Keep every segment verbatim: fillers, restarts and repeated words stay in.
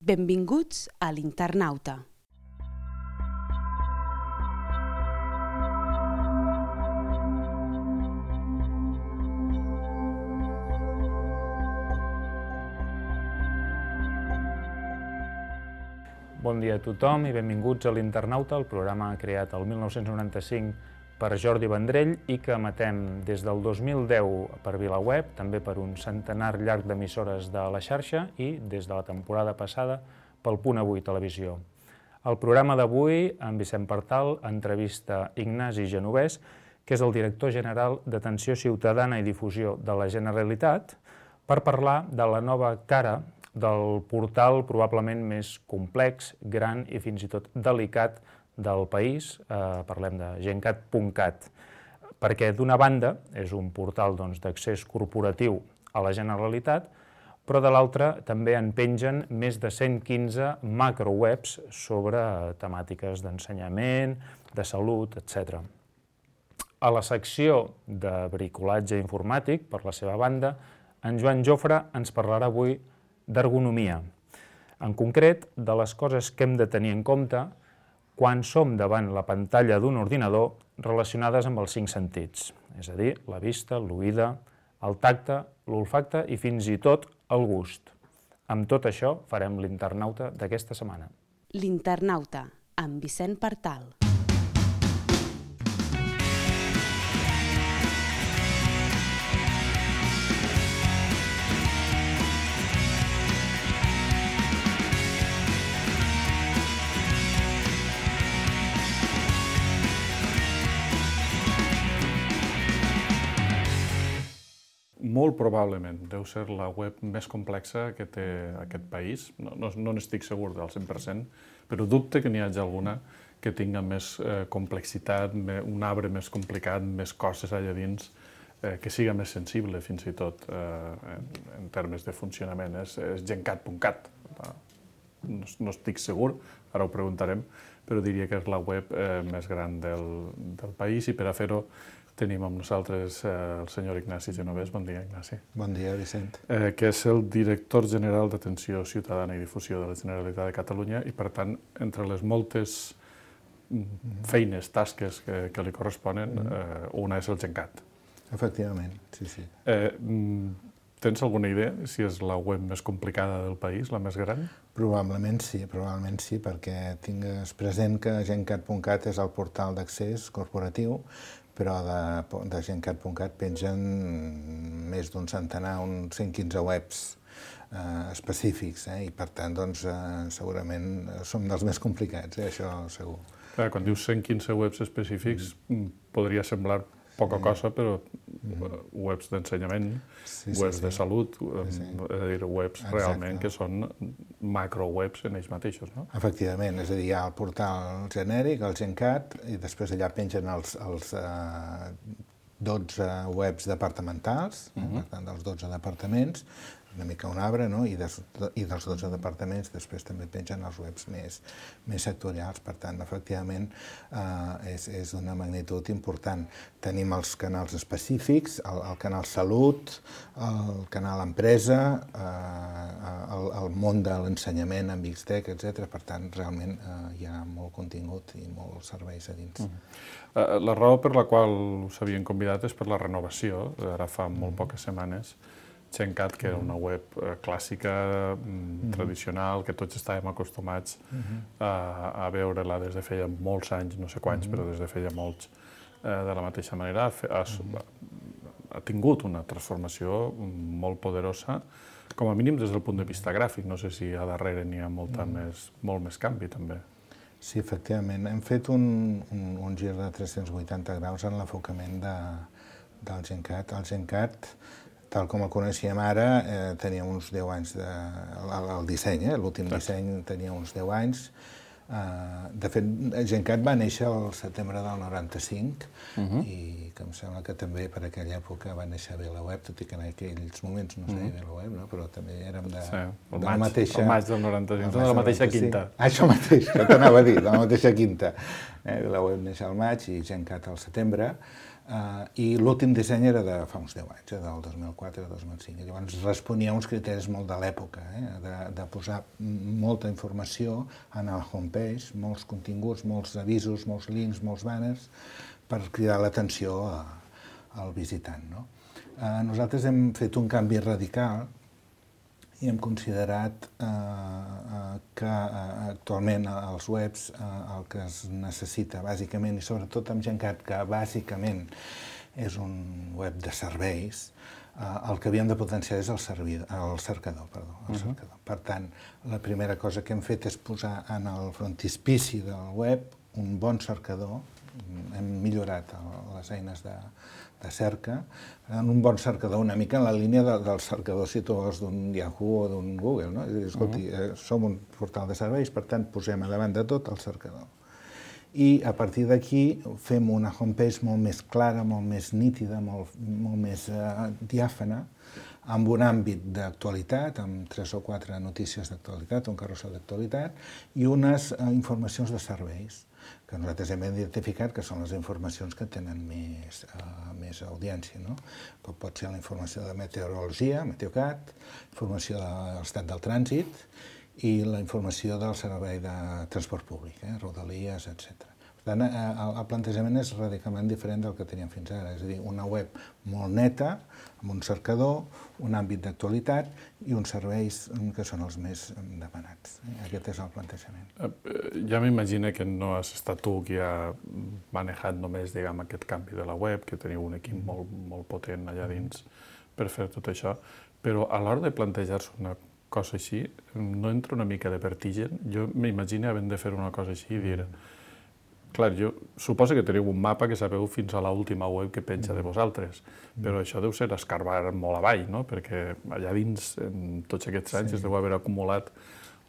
Benvinguts a l'Internauta. Bon dia a tothom i benvinguts a l'Internauta, el programa creat el mil nou-cents noranta-cinc per Jordi Vendrell i que emetem des del dos mil deu per VilaWeb, també per un centenar llarg d'emissores de la xarxa i des de la temporada passada pel Punt Avui Televisió. El programa d'avui, en Vicent Partal, entrevista Ignasi Genovès, que és el director general d'Atenció Ciutadana i Difusió de la Generalitat, per parlar de la nova cara del portal probablement més complex, gran i fins i tot delicat del país, eh, parlem de gencat punt cat, perquè d'una banda és un portal doncs, d'accés corporatiu a la Generalitat, però de l'altra també en pengen més de cent quinze macrowebs sobre temàtiques d'ensenyament, de salut, etcètera. A la secció de bricolatge informàtic, per la seva banda, en Joan Jofre ens parlarà avui d'ergonomia, en concret de les coses que hem de tenir en compte quan som davant la pantalla d'un ordinador relacionades amb els cinc sentits, és a dir, la vista, l'oïda, el tacte, l'olfacte i fins i tot el gust. Amb tot això farem l'Internauta d'aquesta setmana. L'Internauta, amb Vicent Partal. Molt probablement deu ser la web més complexa que té aquest país. No, no, no n'estic segur del cent per cent, però dubte que n'hi hagi alguna que tinga més eh, complexitat, un arbre més complicat, més coses allà dins, eh, que siga més sensible fins i tot eh, en, en termes de funcionament. És, és gencat punt cat. No, no estic segur, ara ho preguntarem, però diria que és la web eh, més gran del, del país i per a fer-ho tenim amb nosaltres eh, el senyor Ignasi Genovès. Bon dia, Ignasi. Bon dia, Vicent. Eh, que és el director general d'Atenció Ciutadana i Difusió de la Generalitat de Catalunya i, per tant, entre les moltes feines, tasques que, que li corresponen, eh, una és el gencat. Efectivament, sí, sí. Eh, tens alguna idea si és la web més complicada del país, la més gran? Probablement sí, probablement sí, perquè tingues present que gencat punt cat és el portal d'accés corporatiu, però de, de gencat punt cat pengen més d'un centenar, uns cent quinze webs eh, específics, eh, i per tant, doncs, eh, segurament som dels més complicats, eh, això segur. Clar, quan dius cent quinze webs específics, mm. podria semblar poca cosa, però mm. webs d'ensenyament, sí, sí, webs sí. de salut, sí, sí. és a dir, webs Exacte. realment que són macrowebs en ells mateixos, no? Efectivament, és a dir, hi ha el portal genèric, el gencat, i després allà pengen els, els eh, dotze webs departamentals, uh-huh. per tant, dels dotze departaments, una mica un arbre, no? I, des, i dels dotze departaments després també pengen els webs més, més sectorials. Per tant, efectivament, eh, és, és d'una magnitud important. Tenim els canals específics, el, el canal Salut, el canal Empresa, eh, el, el món de l'ensenyament amb X Tech, etcètera. Per tant, realment eh, hi ha molt contingut i molts serveis a dins. Uh-huh. La raó per la qual us havien convidat és per la renovació, ara fa molt poques setmanes, gencat, que era una web eh, clàssica, mm, tradicional, que tots estàvem acostumats uh-huh. a, a veure-la des de feia molts anys, no sé quants, uh-huh. però des de feia molts, eh, de la mateixa manera. Ha, ha, ha tingut una transformació molt poderosa, com a mínim des del punt de vista gràfic. No sé si a darrere n'hi ha molta uh-huh. més, molt més canvi, també. Sí, efectivament. Hem fet un, un, un gir de tres-cents vuitanta graus en l'enfocament de, del gencat. El gencat, tal com el coneixíem ara, eh, tenia uns deu anys de... El, el disseny, eh? l'últim disseny tenia uns deu anys. Uh, de fet, gencat va néixer el setembre del noranta-cinc uh-huh. i que em sembla que també per aquella època va néixer VilaWeb, tot i que en aquells moments no es deia uh-huh. VilaWeb, no? Però també érem de, sí, de maig, la mateixa... El maig del noranta-cinc, de la mateixa quinta. Ah, això mateix, que t'anava a dir, de la mateixa quinta. Eh, VilaWeb neix al maig i gencat al setembre. Uh, I l'últim disseny era de fa uns deu anys, eh, del dos mil quatre dos mil cinc. I llavors responia a uns criteris molt de l'època, eh, de, de posar molta informació en el homepage, molts continguts, molts avisos, molts links, molts banners, per cridar l'atenció al visitant. No? Uh, nosaltres hem fet un canvi radical i hem considerat eh, eh, que eh, actualment als webs eh, el que es necessita bàsicament, i sobretot amb Gencat, que bàsicament és un web de serveis, eh, el que havíem de potenciar és el, servidor, el cercador. Perdó, el uh-huh. cercador. Per tant, la primera cosa que hem fet és posar en el frontispici del web un bon cercador. Hem millorat les eines de, de cerca, en un bon cercador, una mica en la línia de, del cercador si tu vols d'un Yahoo o d'un Google, no? És a dir, escolti, eh, som un portal de serveis, per tant, posem a davant de tot el cercador. I a partir d'aquí fem una homepage molt més clara, molt més nítida, molt, molt més eh, diàfana, amb un àmbit d'actualitat, amb tres o quatre notícies d'actualitat, un carrusel d'actualitat, i unes eh, informacions de serveis, que nosaltres hem identificat que són les informacions que tenen més, uh, més audiència, no? Com pot ser la informació de meteorologia, Meteocat, informació de l'estat del trànsit i la informació del servei de transport públic, eh? Rodalies, etcètera. Per tant, el plantejament és radicalment diferent del que teníem fins ara, és a dir, una web molt neta, amb un cercador, un àmbit d'actualitat i uns serveis que són els més demanats. Aquest és el plantejament. Ja m'imagino que no has estat tu qui ha manejat només, diguem, aquest canvi de la web, que teniu un equip molt, molt potent allà dins per fer tot això, però a l'hora de plantejar-se una cosa així, no entra una mica de vertigen? Jo m'imagino havent de fer una cosa així i dir... Clar, jo suposo que teniu un mapa que sabeu fins a l'última web que penja de vosaltres, però això deu ser escarbar molt avall, no? Perquè allà dins, en tots aquests anys, es deu haver acumulat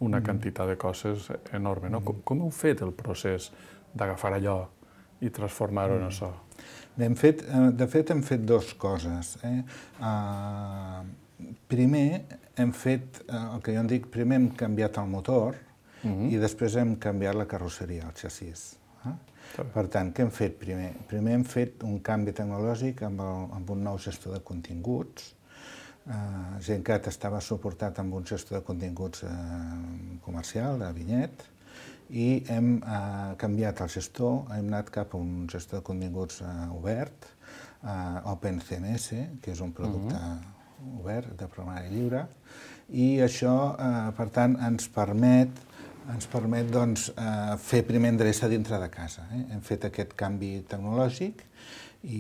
una quantitat de coses enorme, no? Com, com heu fet el procés d'agafar allò i transformar-ho en això? Hem fet, de fet, hem fet dues coses. Eh? Uh, primer, hem fet, uh, el que jo en dic, primer hem canviat el motor uh-huh. i després hem canviat la carrosseria, el xassís. Per tant, què hem fet primer? Primer hem fet un canvi tecnològic amb, el, amb un nou gestor de continguts. Uh, Gencat estava suportat amb un gestor de continguts uh, comercial, de Vinyet, i hem uh, canviat el gestor, hem anat cap a un gestor de continguts uh, obert, uh, OpenCMS, que és un producte uh-huh. obert, de programari lliure, i això, uh, per tant, ens permet ens permet doncs, eh, fer primer endreça dintre de casa. Eh? Hem fet aquest canvi tecnològic i,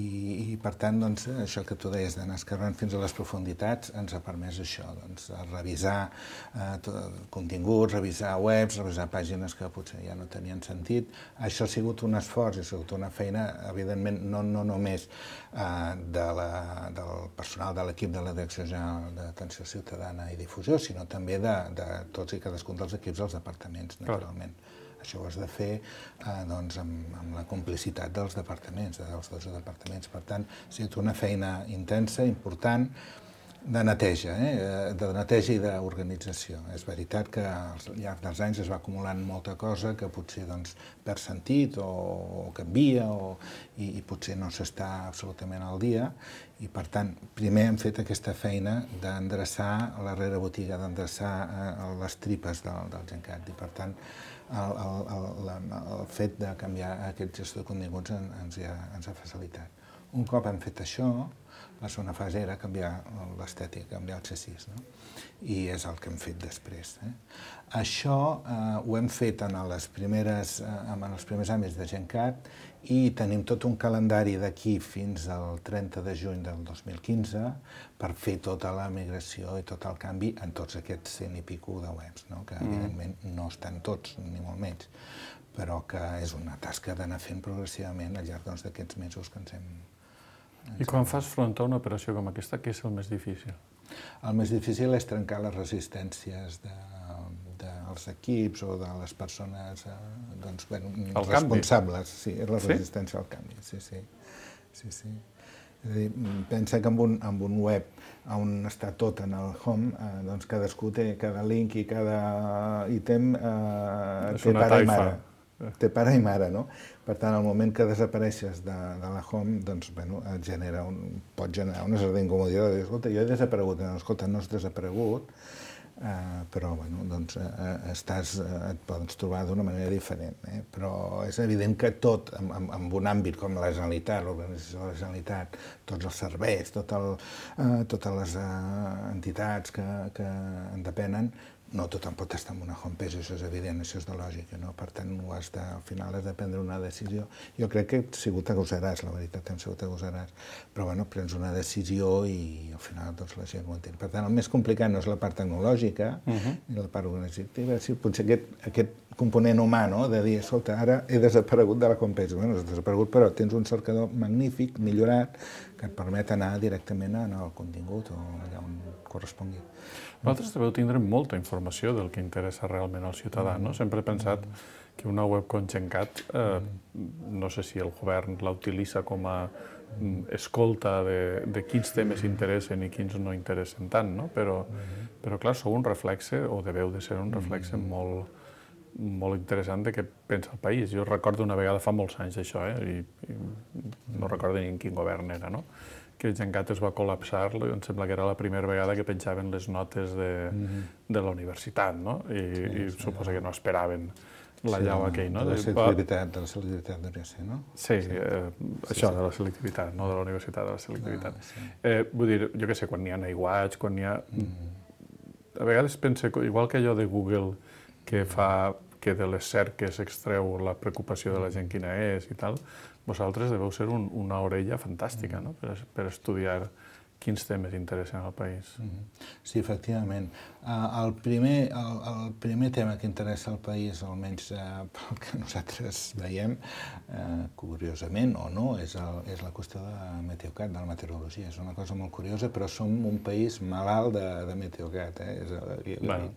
i per tant, doncs, això que tu deies d'anar escarrant fins a les profunditats ens ha permès això, doncs, revisar eh, tot, continguts, revisar webs, revisar pàgines que potser ja no tenien sentit. Això ha sigut un esforç, ha sigut una feina, evidentment, no, no només eh, de la, del personal de l'equip de la Direcció General d'Atenció Ciutadana i Difusió, sinó també de, de tots i cadascun dels equips dels departaments, naturalment. Clar. Això ho has de fer eh, doncs, amb, amb la complicitat dels departaments, dels dotze departaments. Per tant, ha sigut una feina intensa, important, de neteja, eh? de neteja i d'organització. És veritat que al llarg dels anys es va acumulant molta cosa que potser doncs, perd sentit o, o canvia o, i, i potser no s'està absolutament al dia. I, per tant, primer hem fet aquesta feina d'endreçar la rerebotiga, d'endreçar eh, les tripes del, del Gencat. I, per tant, el, el, el, el fet de canviar aquest gestor de continguts ens ha, ens ha facilitat. Un cop hem fet això, la segona fase era canviar l'estètica, canviar el xassís, no? I és el que hem fet després. Eh? Això eh, ho hem fet en les primeres, eh, en els primers àmbits de Gencat i tenim tot un calendari d'aquí fins al trenta de juny del dos mil quinze per fer tota la migració i tot el canvi en tots aquests cent i pico de webs, no? Que evidentment no estan tots, ni molt menys, però que és una tasca d'anar fent progressivament al llarg doncs, d'aquests mesos que ens hem... I quan fas front a una operació com aquesta, què és el més difícil? El més difícil és trencar les resistències de, dels equips o de les persones eh, doncs, ben, responsables. Sí, és la resistència al canvi. Sí, sí. sí, sí. És a dir, pensa que amb un, amb un web on està tot en el home, eh, doncs cadascú té cada link i cada ítem eh, té pare i mare. té pare i mare, no? Per tant, al moment que desapareixes de, de la home, doncs, bueno, et genera un, pot generar una certa incomoditat de dir, escolta, jo he desaparegut, no, escolta, no has desaparegut, Uh, però bueno, doncs, uh, estàs, uh, et pots trobar d'una manera diferent. Eh? Però és evident que tot, en, en, en un àmbit com la Generalitat, l'organització de la Generalitat, tots els serveis, tot el, uh, totes les uh, entitats que, que en depenen, no tothom pot estar en una homepage, això és evident, això és de lògica, no? Per tant, ho has de, al final has de prendre una decisió. Jo crec que he sigut agosaràs, la veritat, hem sigut agosaràs, però bueno, prens una decisió i al final doncs, la gent ho entén. Per tant, el més complicat no és la part tecnològica uh-huh. ni la part organitzativa, si potser aquest, aquest component humà, no? De dir, escolta, ara he desaparegut de la homepage. Bueno, has desaparegut, però tens un cercador magnífic, millorat, que et permet anar directament al contingut o allà on correspongui. Vosaltres deveu tindre molta informació del que interessa realment al ciutadà, no? Sempre he pensat que una web com GenCat, eh, no sé si el govern la utilitza com a escolta de, de quins temes interessen i quins no interessen tant, no? Però, però clar, sou un reflexe, o deveu de ser un reflexe molt, molt interessant de què pensa el país. Jo recordo una vegada, fa molts anys d'això, eh? I, i no recordo ni en quin govern era, no? Que GenCat es va col·lapsar, em sembla que era la primera vegada que penjaven les notes de, mm-hmm. de la universitat, no? I, sí, i sí, suposo que no esperaven la sí, llau aquell, no? De la selectivitat, de la selectivitat devia ser, no? Sí, sí. Eh, això, sí, sí. De la selectivitat, no de la universitat, de la selectivitat. Ah, sí. eh, vull dir, jo què sé, quan n'hi ha aiguats, quan n'hi ha... Mm. A vegades pense, igual que allò de Google, que fa que de les cerques extreu la preocupació de la gent quina és i tal, vosaltres deveu ser un, una orella fantàstica, no? per, per estudiar quins temes interessen al país. Sí, efectivament. El primer, el, el primer tema que interessa al país, almenys eh, pel que nosaltres veiem, eh, curiosament o no, és, el, és la qüestió de Meteocat, de la meteorologia. És una cosa molt curiosa, però som un país malalt de, de Meteocat. Eh? És, bueno.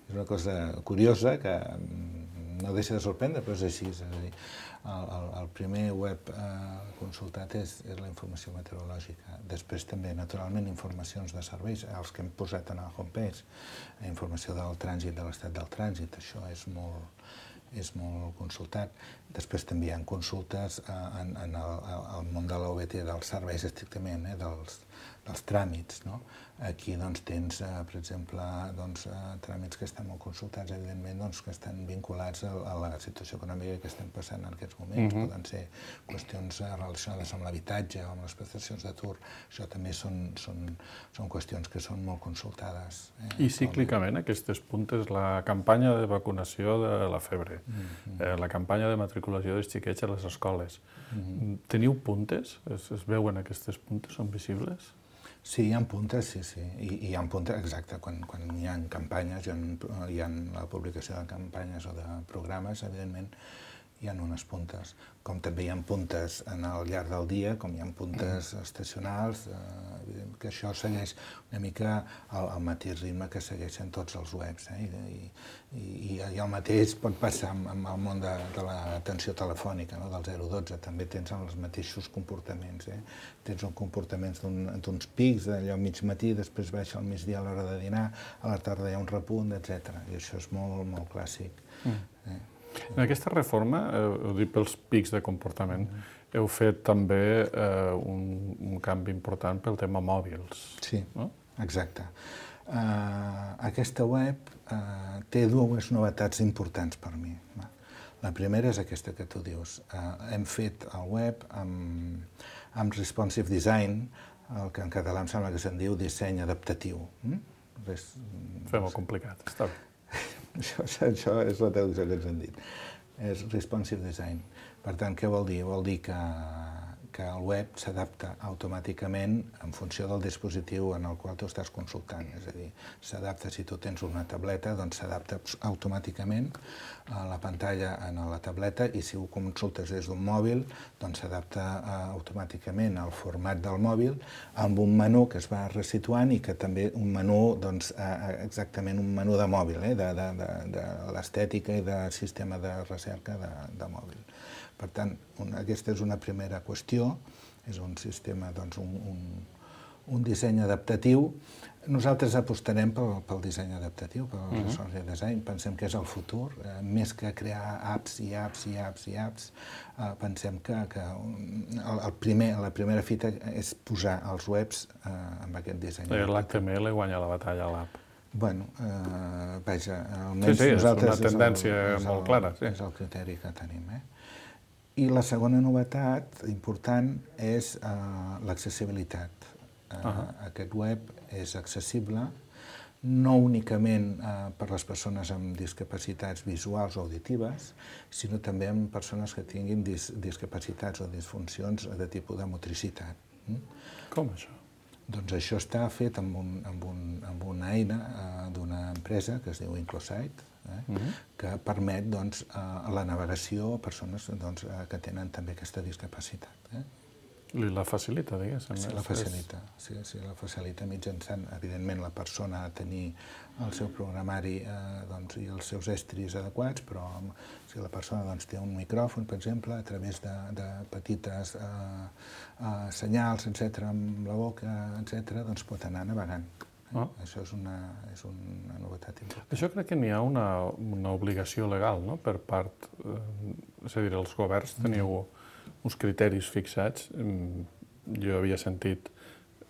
és una cosa curiosa que no deixa de sorprendre, però és així. És a dir, el, el, el primer web eh, consultat és, és la informació meteorològica. Després també, naturalment, informacions de serveis, els que hem posat en el homepage, informació del trànsit, de l'estat del trànsit, això és molt, és molt consultat. Després també hi ha consultes eh, en, en el, el món de l'O B T, dels serveis estrictament, eh, dels, dels tràmits, no? Aquí doncs, tens, eh, per exemple, doncs, eh, tràmits que estan molt consultats, evidentment, doncs, que estan vinculats a, a la situació econòmica que estem passant en aquests moments. Uh-huh. Poden ser qüestions eh, relacionades amb l'habitatge o amb les prestacions d'atur. Això també són, són, són qüestions que són molt consultades. Eh, I cíclicament, aquestes puntes, la campanya de vacunació de la febre, uh-huh. eh, la campanya de matriculació dels xiquets a les escoles. Uh-huh. Teniu puntes? Es, es veuen aquestes puntes? Són visibles? Sí, hi ha puntes, sí, sí. I, i hi ha puntes, exacte, quan, quan hi ha campanyes, hi ha, hi ha la publicació de campanyes o de programes, evidentment, hi ha unes puntes. Com també hi ha puntes en el llarg del dia, com hi ha puntes estacionals, eh, que això segueix una mica el, el mateix ritme que segueixen tots els webs. Eh? I, i, i, I el mateix pot passar amb, amb el món de, de l'atenció telefònica, no? Del zero dotze, també tens els mateixos comportaments. Eh? Tens un comportaments d'uns pics, allò mig matí, després baixa al migdia a l'hora de dinar, a la tarda hi ha un repunt, etcètera. I això és molt, molt clàssic. Mm. Eh? En aquesta reforma, eh, ho dic pels pics de comportament, heu fet també eh, un, un canvi important pel tema mòbils. Sí, no? Exacte. Uh, aquesta web uh, té dues novetats importants per mi. La primera és aquesta que tu dius. Uh, hem fet el web amb, amb responsive design, el que en català em sembla que se'n diu disseny adaptatiu. Mm? Res, Fem-ho complicat, està bé. Això, això és la traducció que ens han dit. És responsive design. Per tant, què vol dir? Vol dir que, que el web s'adapta automàticament en funció del dispositiu en el qual tu estàs consultant. És a dir, s'adapta, si tu tens una tableta, doncs s'adapta automàticament a la pantalla en la tableta, i si ho consultes des d'un mòbil, doncs s'adapta uh, automàticament al format del mòbil amb un menú que es va resituant i que també un menú, doncs, uh, exactament un menú de mòbil, eh, de, de, de, de l'estètica i de sistema de recerca de, de mòbil. Per tant, un, aquesta és una primera qüestió, és un sistema, doncs, un, un, un disseny adaptatiu Nosaltres apostarem pel, pel disseny adaptatiu, pel uh -huh. social design. Pensem que és el futur. Eh, més que crear apps i apps i apps i apps, eh, pensem que, que el, el primer, la primera fita és posar els webs eh, amb aquest disseny. L'H T M L guanya la batalla a l'app. Bueno, eh, vaja, almenys sí, sí, nosaltres... és una tendència és el, és molt el, clara. Sí. És el criteri que tenim. Eh? I la segona novetat important és eh, l'accessibilitat. Uh, uh -huh. Aquest web és accessible no únicament uh, per les persones amb discapacitats visuals o auditives, sinó també amb persones que tinguin dis discapacitats o disfuncions de tipus de motricitat. Mm? Com això? Doncs això està fet amb, un, amb, un, amb una eina uh, d'una empresa que es diu Inclosight, eh? uh -huh. que permet doncs, uh, la navegació a persones doncs, uh, que tenen també aquesta discapacitat. Eh? Li la facilita, diguéssim. Sí, la facilita. Sí, sí, la facilita mitjançant, evidentment, la persona a tenir el seu programari eh, doncs, i els seus estris adequats, però si la persona doncs, té un micròfon, per exemple, a través de, de petites eh, eh, senyals, etcètera, amb la boca, etcètera, doncs pot anar navegant. Eh? Oh. Això és una, és una novetat important. Això crec que n'hi ha una, una obligació legal, no?, per part, eh, és a dir, els governs teniu mm. uns criteris fixats. Jo havia sentit,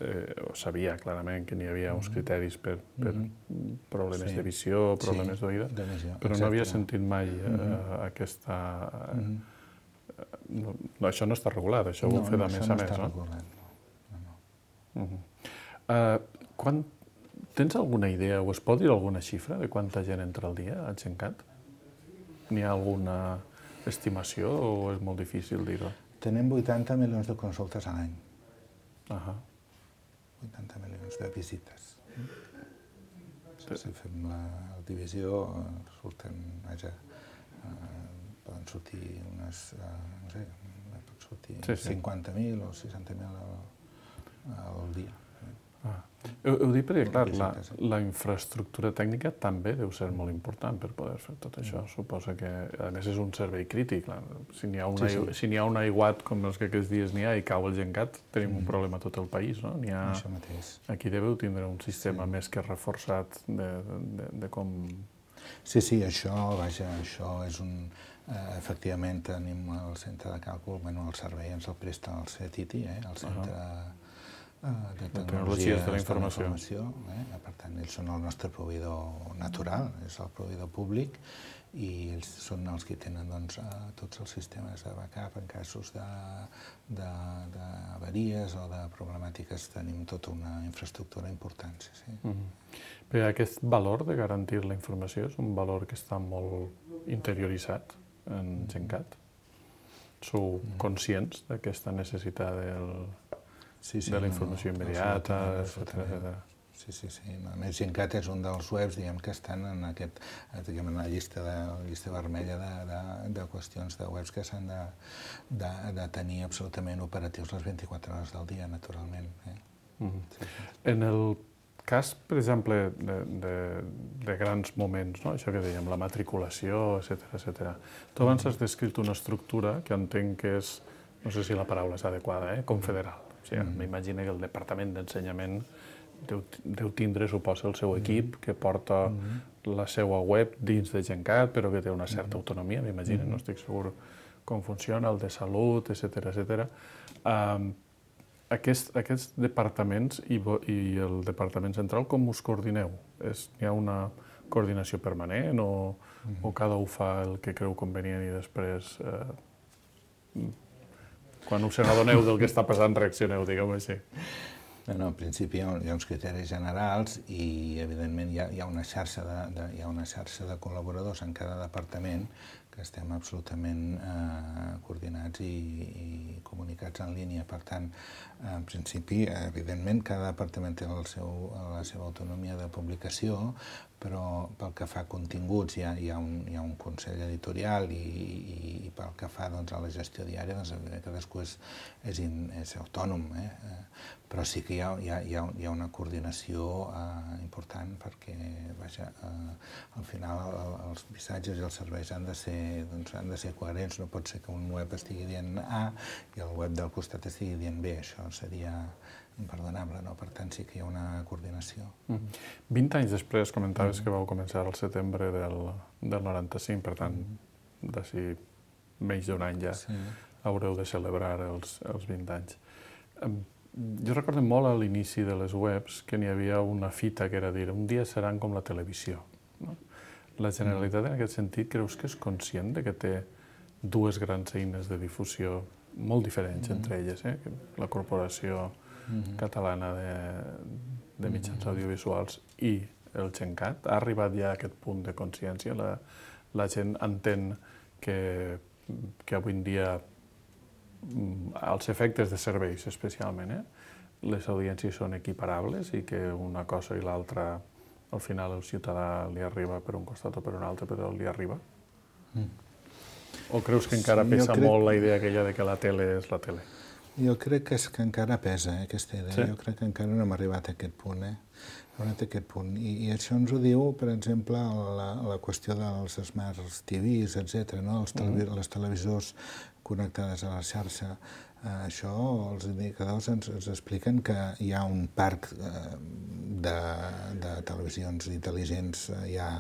eh, o sabia clarament que n'hi havia uns criteris per, per mm-hmm. problemes sí. de visió, problemes sí, d'oïda, però no havia sentit mai eh, mm-hmm. aquesta... Mm-hmm. no, no, això no està regulat, això no, ho heu fet no, a més no a més, no? Regulat. No, no. Mm-hmm. uh, quan, tens alguna idea, o es pot dir alguna xifra de quanta gent entra al dia a Gencat? N'hi ha alguna estimació o és molt difícil dir-ho? Tenim vuitanta milions de consultes a l'any. Uh -huh. vuitanta milions de visites. Sí, si fem la divisió, surten, vaja, eh, poden sortir unes, eh, no sé, pot sortir sí, sí. cinquanta mil o seixanta mil al, al dia. Ah. Ho, ho dic perquè, clar, la, la infraestructura tècnica també deu ser molt important per poder fer tot això. Suposa que, a més, és un servei crític. Clar. Si n'hi ha, una, sí, sí. si n'hi ha un aiguat, com els que aquests dies n'hi ha, i cau el Gencat, tenim mm. un problema a tot el país, no? N'hi ha... Això mateix. Aquí deveu tindre un sistema sí. més que reforçat de, de, de com... Sí, sí, això, vaja, això és un... Eh, efectivament, tenim el centre de càlcul, bueno, el servei ens el presta el C E T I T I, eh, el centre... Uh -huh. de tecnologies de la informació. De la informació eh? Per tant, ells són el nostre proveïdor natural, és el proveïdor públic, i ells són els que tenen doncs, tots els sistemes de backup en casos d'avaries o de problemàtiques. Tenim tota una infraestructura important. Sí, sí. Mm-hmm. Però aquest valor de garantir la informació és un valor que està molt interioritzat en Gencat? Sou conscients d'aquesta necessitat del... Sí, sí, de la informació no, immediata, etcètera. Sí, sí, sí. A més, Gencat és un dels webs, diguem, que estan en aquest, diguem, en la llista, de, la llista vermella de, de, de qüestions de webs que s'han de, de, de tenir absolutament operatius les vint-i-quatre hores del dia, naturalment. Eh? Mm-hmm. Sí, sí. En el cas, per exemple, de, de, de grans moments, no? Això que dèiem, la matriculació, etcètera, etcètera. Tu abans has descrit una estructura que entenc que és, no sé si la paraula és adequada, eh? confederal. O sigui, mm. m'imagino que el Departament d'Ensenyament deu, deu tindre, suposa, el seu equip que porta mm. la seva web dins de Gencat, però que té una certa mm. autonomia, m'imagino, mm. no estic segur com funciona, el de salut, etcètera, etcètera. Um, aquest, aquests departaments i, i el Departament Central, com us coordineu? És, hi ha una coordinació permanent o, mm. o cada un fa el que creu convenient i després... Eh, quan us n'adoneu del que està passant, reaccioneu, diguem-ho així. No, no, en principi hi ha, hi ha uns criteris generals i, evidentment, hi ha, hi ha, una xarxa de, de, hi ha una xarxa de col·laboradors en cada departament que estem absolutament eh, coordinats i, i comunicats en línia. Per tant, en principi, evidentment, cada departament té el seu, la seva autonomia de publicació, però pel que fa a continguts hi ha, hi ha, un, hi ha un consell editorial i, i, i pel que fa doncs, a la gestió diària, doncs, cadascú és, és, in, és autònom, eh? Però sí que hi ha, hi ha, hi ha, hi ha una coordinació eh, important perquè, vaja, eh, al final el, els missatges i els serveis han de ser ser, doncs, han de ser coherents, no pot ser que un web estigui dient A i el web del costat estigui dient B, això seria imperdonable, no? Per tant, sí que hi ha una coordinació. Mm. vint anys després comentaves mm. que vau començar al setembre del, del noranta-cinc, per tant, mm. d'ací menys d'un any ja sí. haureu de celebrar els, els vint anys. Jo recordo molt a l'inici de les webs que n'hi havia una fita que era dir un dia seran com la televisió. No? La Generalitat, en aquest sentit, creus que és conscient de que té dues grans eines de difusió molt diferents mm. entre elles, eh? La Corporació mm. Catalana de, de Mitjans mm. Audiovisuals i el GenCat? Ha arribat ja a aquest punt de consciència? La, la gent entén que, que avui en dia els efectes de serveis, especialment, eh? les audiències són equiparables i que una cosa i l'altra, al final, el ciutadà li arriba per un costat o per un altre, però li arriba? Mm. O creus que encara sí, pesa crec... molt la idea aquella de que la tele és la tele? Jo crec que, és, que encara pesa, eh, aquesta idea. Sí? Jo crec que encara no hem arribat a aquest punt. Eh? A aquest punt. I, I això ens ho diu, per exemple, la, la qüestió dels Smart T Vs, etcètera, no? Els televi mm. les televisors connectades a la xarxa. Eh, això, els indicadors ens, ens expliquen que hi ha un parc eh, de, de televisions intel·ligents eh, ja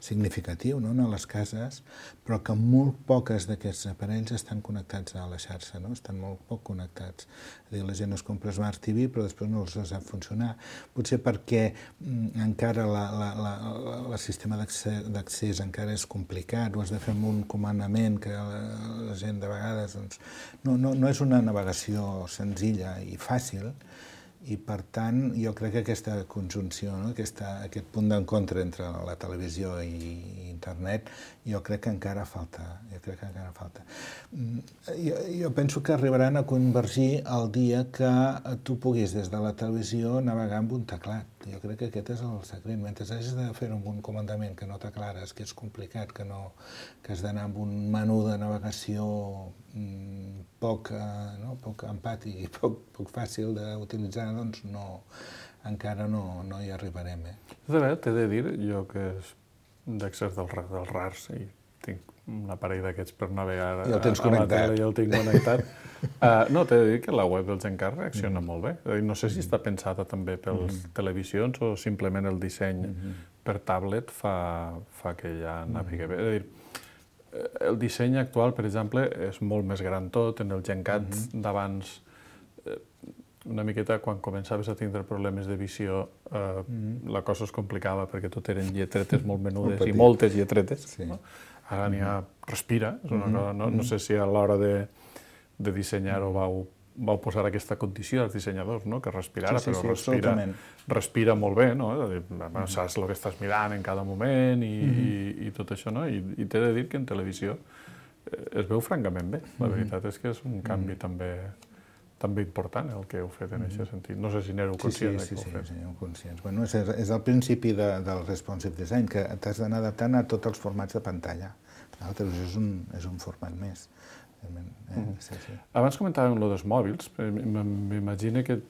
significatiu, no? A les cases, però que molt poques d'aquests aparells estan connectats a la xarxa, no? Estan molt poc connectats. És a dir, la gent es compra Smart T V, però després no els sap funcionar. Potser perquè mm, encara la, la, la, la, el sistema d'accés encara és complicat, ho has de fer amb un comandament que la, la gent de vegades doncs, no, no, no és una navegació senzilla i fàcil, i per tant jo crec que aquesta conjunció, no? Aquesta, aquest punt d'encontre entre la televisió i internet, jo crec que encara falta. Jo crec que encara falta. Jo, jo penso que arribaran a convergir el dia que tu puguis des de la televisió navegar amb un teclat. Jo crec que aquest és el secret. Mentre hagis de fer-ho amb un comandament que no t'aclares, que és complicat, que, no, que has d'anar amb un menú de navegació mmm, poc, eh, no? poc empàtic i poc, poc fàcil d'utilitzar, doncs no, encara no, no hi arribarem. Eh? De veritat, t'he de dir, jo que d'excés dels, dels rars, i tinc un aparell d'aquests per navegar I el tens a, a la tele i el tinc connectat. uh, no, t'he de dir que la web del GenCat reacciona mm. molt bé. És a dir, no sé si està pensada també pels mm. televisions o simplement el disseny mm. per tablet fa, fa que ja navegui bé. És a dir, el disseny actual, per exemple, és molt més gran tot. En el GenCat mm-hmm. d'abans, eh, una miqueta, quan començaves a tindre problemes de visió, eh, mm-hmm. la cosa es complicava perquè tot eren lletretes molt menudes molt i moltes lletretes. Sí. No? Ara n'hi ha respira, és una cosa, no, no sé si a l'hora de, de dissenyar-ho vau, vau posar aquesta condició als dissenyadors, no? Que respirara, sí, sí, però sí, respira, respira molt bé, no? És a dir, bueno, saps el que estàs mirant en cada moment i, Mm-hmm. i, i tot això, no? I, i t'he de dir que en televisió es veu francament bé. La veritat és que és un canvi mm-hmm. també també important el que heu fet en aquest sentit. No sé si n'éreu conscients sí, sí, que sí, heu fet. Sí, sí, sí, conscients. Bueno, és, és el principi de, del responsive design, que t'has d'anar adaptant a tots els formats de pantalla. La televisió és un, és un format més. Eh? Mm-hmm. sí, sí. Abans comentàvem lo dels mòbils. M'imagino que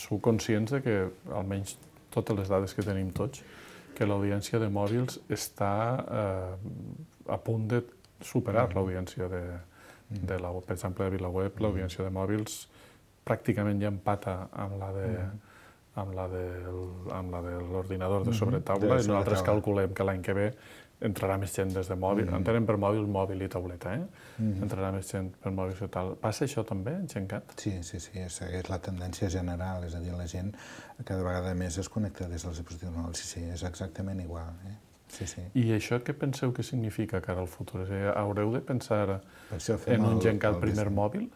sou conscients de que, almenys totes les dades que tenim tots, que l'audiència de mòbils està eh, a punt de superar mm-hmm. l'audiència de, de la, per exemple, de VilaWeb, l'audiència de mòbils pràcticament ja empata amb la de amb la de amb la de l'ordinador de sobretaula, i nosaltres calculem que l'any que ve entrarà més gent des de mòbil, entenem per mòbil, mòbil i tauleta, eh? Entrarà més gent per mòbil i tal. Passa això també en GenCat? Sí, sí, sí, segueix la tendència general, és a dir, la gent cada vegada més es connecta des dels dispositius mòbils, sí, sí, és exactament igual, eh? Sí, sí. I això què penseu que significa cara al futur? És a dir, haureu de pensar en un GenCat primer mòbil?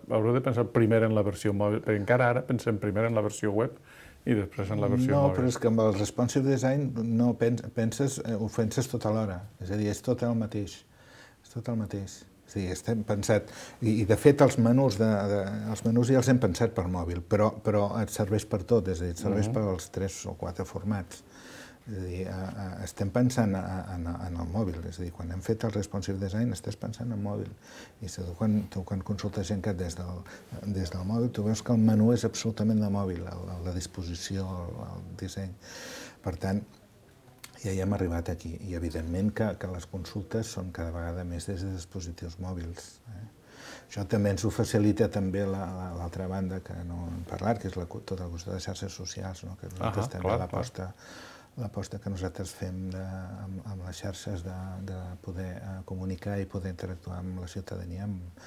Haureu de pensar primer en la versió mòbil? Perquè encara ara pensem primer en la versió web i després en la versió no, mòbil. No, però és que amb el responsive design no penses, ho penses tot alhora. És a dir, és tot el mateix. És tot el mateix. És a dir, estem pensat... I, i de fet, els menús, de, de, els menús ja els hem pensat per mòbil, però, però et serveix per tot, és a dir, et serveix uh-huh. per als tres o quatre formats. És a dir, a, a, estem pensant a, a, en el mòbil, és a dir, quan hem fet el responsive design estàs pensant en mòbil. I tu quan, tu, quan consultes GenCat des del, des del mòbil, tu veus que el menú és absolutament de mòbil, la, la disposició, el, el disseny. Per tant, ja hi hem arribat aquí. I evidentment que, que les consultes són cada vegada més des de dispositius mòbils. Eh? Això també ens ho facilita també l'altra banda que no hem parlat, que és la, tota la qüestió de xarxes socials, no? Que nosaltres ah, també l'aposta l'aposta que nosaltres fem de, amb, amb les xarxes de, de poder uh, comunicar i poder interactuar amb la ciutadania amb,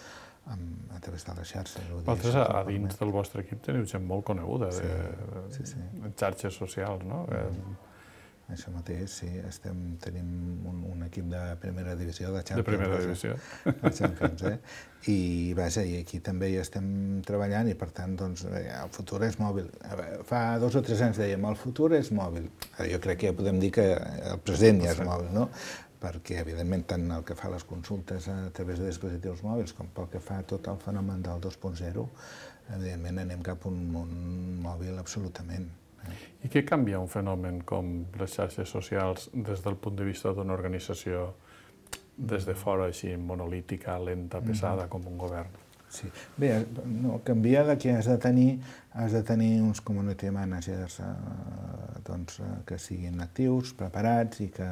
amb, a través de les xarxes. Vosaltres, a dins del vostre equip, teniu gent molt coneguda de, sí, sí, sí. de xarxes socials, no? Mm. Això mateix, sí. Estem, tenim un, un equip de primera divisió de Champions. De primera divisió. De Champions, eh? I, vaja, i aquí també hi estem treballant i, per tant, doncs, el futur és mòbil. Fa dos o tres anys dèiem, el futur és mòbil. Jo crec que ja podem dir que el present ja és mòbil, no? Perquè, evidentment, tant el que fa les consultes a través de dispositius mòbils com pel que fa tot el fenomen del dos punt zero, evidentment anem cap a un món mòbil absolutament. I què canvia un fenomen com les xarxes socials des del punt de vista d'una organització des de fora, així, monolítica, lenta, pesada, com un govern? Sí. Bé, no, canvia de que has de tenir, has de tenir uns community managers eh, doncs, que siguin actius, preparats i que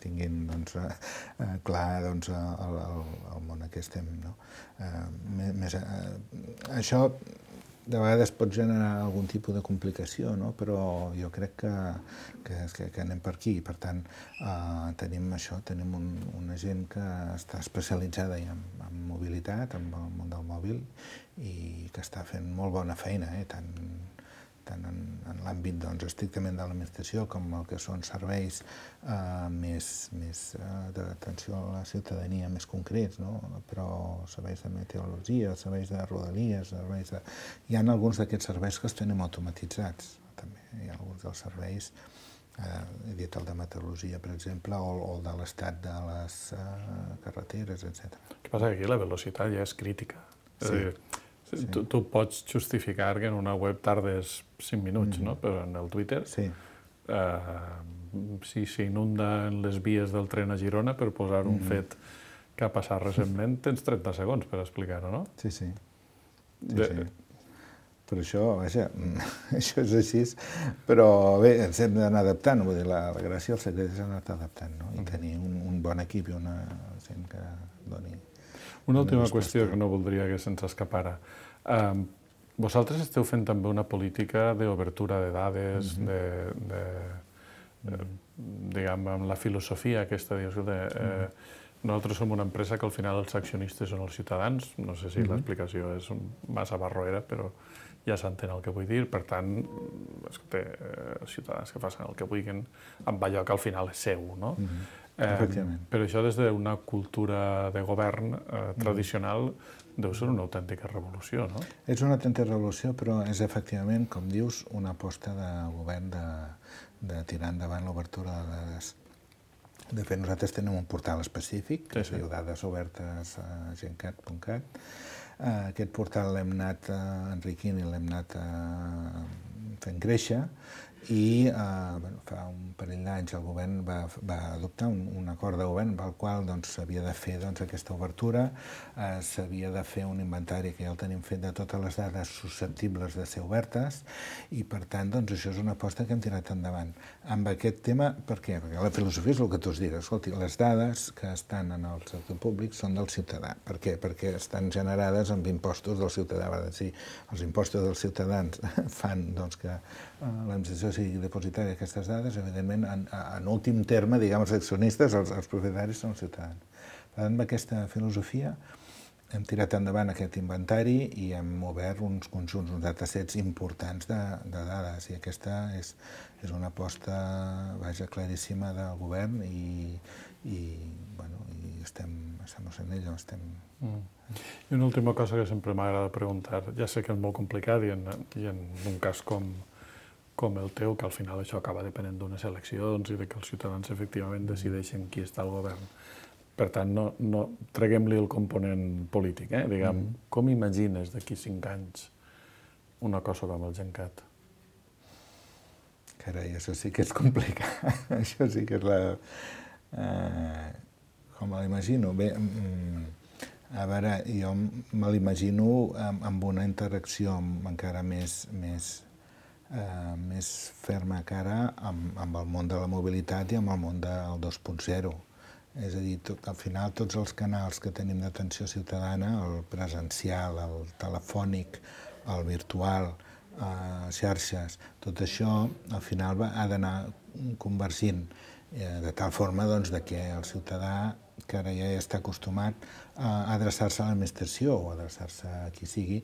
tinguin doncs, eh, clar doncs, el, el, el món en què estem. No? Eh, més, eh, això de vegades pot generar algun tipus de complicació, no? Però jo crec que, que, que anem per aquí. Per tant, eh, tenim això, tenim un, una gent que està especialitzada en, en mobilitat, en el món del mòbil, i que està fent molt bona feina, eh? tant, tant en, en l'àmbit doncs, estrictament de l'administració com el que són serveis eh, més, més eh, d'atenció a la ciutadania més concrets, no? Però serveis de meteorologia, serveis de rodalies, serveis de... Hi ha alguns d'aquests serveis que els tenim automatitzats, també. Hi ha alguns dels serveis, eh, he dit el de meteorologia, per exemple, o, o el de l'estat de les eh, carreteres, etcètera. El que passa que aquí la velocitat ja és crítica. És sí. a dir, Sí. Tu, tu pots justificar que en una web tardes cinc minuts, mm. no? Però en el Twitter, sí. eh, si s'inunda en les vies del tren a Girona per posar un mm. fet que ha passat recentment, tens trenta segons per explicar-ho, no? Sí, sí. sí, De... sí. Per això, vaja, això és així, però bé, ens hem d'anar adaptant, vull dir, la, la gràcia del secret és anar adaptant, no? I mm. tenir un, un bon equip i una gent que doni... Una última qüestió que no voldria que se'ns escapara. Um, vosaltres esteu fent també una política d'obertura de dades, mm-hmm. de, de, de, diguem, amb la filosofia aquesta, dius, de, eh, nosaltres som una empresa que al final els accionistes són els ciutadans, no sé si mm-hmm. l'explicació és massa barroera, però ja s'entén el que vull dir, per tant, escolta, els ciutadans que facin el que vulguin amb allò que al final és seu, no? Mm-hmm. Eh, però això des d'una cultura de govern eh, tradicional deu ser una autèntica revolució, no? És una autèntica revolució, però és efectivament, com dius, una aposta de govern de, de tirar endavant l'obertura de dades. De fet, nosaltres tenim un portal específic, que sí, sí. es diu dades obertes a gencat punt cat. Eh, aquest portal l'hem anat eh, enriquint i l'hem anat eh, fent créixer, i eh, bueno, fa un parell d'anys el govern va, va adoptar un, un acord de govern pel qual s'havia doncs, de fer doncs, aquesta obertura, eh, s'havia de fer un inventari que ja el tenim fet de totes les dades susceptibles de ser obertes i per tant doncs, això és una aposta que hem tirat endavant. Amb aquest tema, per què? Perquè la filosofia és el que tu has dit, escolti, les dades que estan en el sector públic són del ciutadà. Per què? Perquè estan generades amb impostos del ciutadà. Va dir, els impostos dels ciutadans fan doncs, que eh, l'administració sigui depositari d'aquestes dades, evidentment, en, en últim terme, diguem, els accionistes, els, els propietaris són els ciutadans. Per tant, amb aquesta filosofia hem tirat endavant aquest inventari i hem obert uns conjunts, uns datasets importants de, de dades, i aquesta és, és una aposta, vaja, claríssima del govern i, i, bueno, i estem, estem en ella, estem... Mm. I una última cosa que sempre m'agrada preguntar, ja sé que és molt complicat i en, i en un cas com com el teu, que al final això acaba depenent d'unes eleccions i de que els ciutadans efectivament decideixen qui està al govern. Per tant, no, no treguem-li el component polític, eh? Diguem, mm. com imagines d'aquí cinc anys una cosa com el Gencat? Carai, això sí que és complicat. Això sí que és la... Eh, com me l'imagino? Bé, a veure, jo me l'imagino amb, amb una interacció encara més... més eh, més ferma cara amb, amb el món de la mobilitat i amb el món del dos punt zero. És a dir, tot, al final tots els canals que tenim d'atenció ciutadana, el presencial, el telefònic, el virtual, eh, xarxes, tot això al final va, ha d'anar convergint eh, de tal forma doncs, de que el ciutadà, que ara ja està acostumat a adreçar-se a l'administració o a adreçar-se a qui sigui,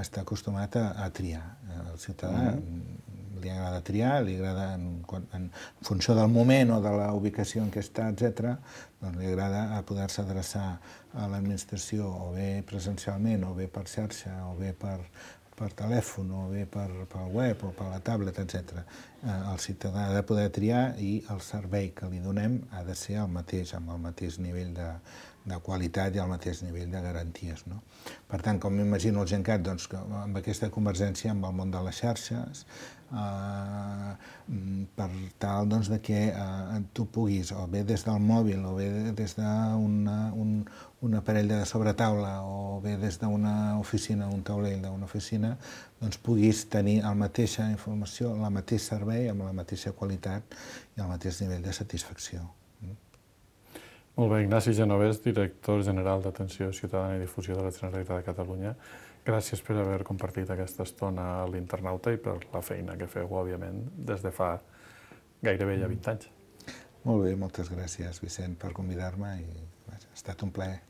està acostumat a, a triar. El ciutadà mm. li agrada triar, li agrada, en, en funció del moment o de la ubicació en què està, etcètera, doncs li agrada poder-se adreçar a l'administració o bé presencialment, o bé per xarxa, o bé per, per telèfon, o bé per, per web o per la tablet, etcètera. Eh, el ciutadà ha de poder triar i el servei que li donem ha de ser el mateix, amb el mateix nivell de, de qualitat i el mateix nivell de garanties. No? Per tant, com m'imagino el Gencat, doncs, que amb aquesta convergència amb el món de les xarxes, eh, per tal doncs, de que eh, tu puguis, o bé des del mòbil, o bé des d'un un, un aparell de sobretaula, o bé des d'una oficina, un taulell d'una oficina, doncs puguis tenir la mateixa informació, el mateix servei, amb la mateixa qualitat i el mateix nivell de satisfacció. Molt bé, Ignasi Genovès, director general d'Atenció Ciutadana i Difusió de la Generalitat de Catalunya. Gràcies per haver compartit aquesta estona a l'Internauta i per la feina que feu, òbviament, des de fa gairebé ja vint anys. Molt bé, moltes gràcies, Vicent, per convidar-me i ha estat un plaer.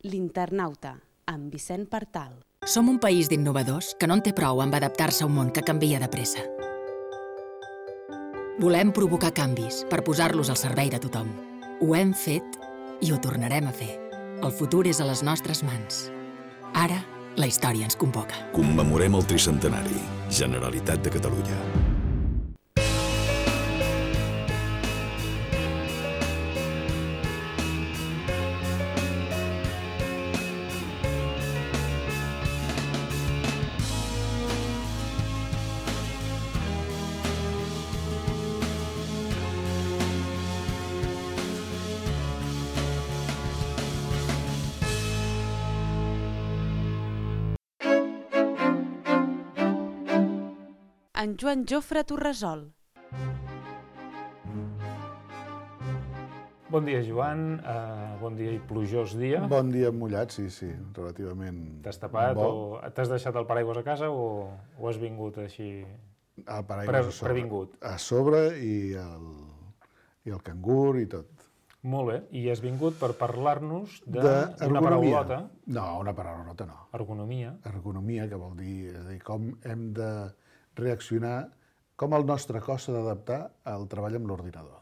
L'Internauta, amb Vicent Partal. Som un país d'innovadors que no en té prou amb adaptar-se a un món que canvia de pressa. Volem provocar canvis per posar-los al servei de tothom. Ho hem fet i ho tornarem a fer. El futur és a les nostres mans. Ara, la història ens convoca. Commemorem el tricentenari. Generalitat de Catalunya. En Joan Jofre Torresol. Bon dia, Joan. Uh, bon dia i plujós dia. Bon dia mullat, sí, sí, relativament T'has tapat bo. o t'has deixat el paraigües a casa o, o has vingut així El paraigües pre a sobre. previngut? A sobre i el, i el cangur i tot. Molt bé. I has vingut per parlar-nos D'ergonomia. d'una paraulota. No, una paraulota no. Ergonomia. Ergonomia, que vol dir, és a dir, com hem de reaccionar, com el nostre cos s'ha d'adaptar al treball amb l'ordinador.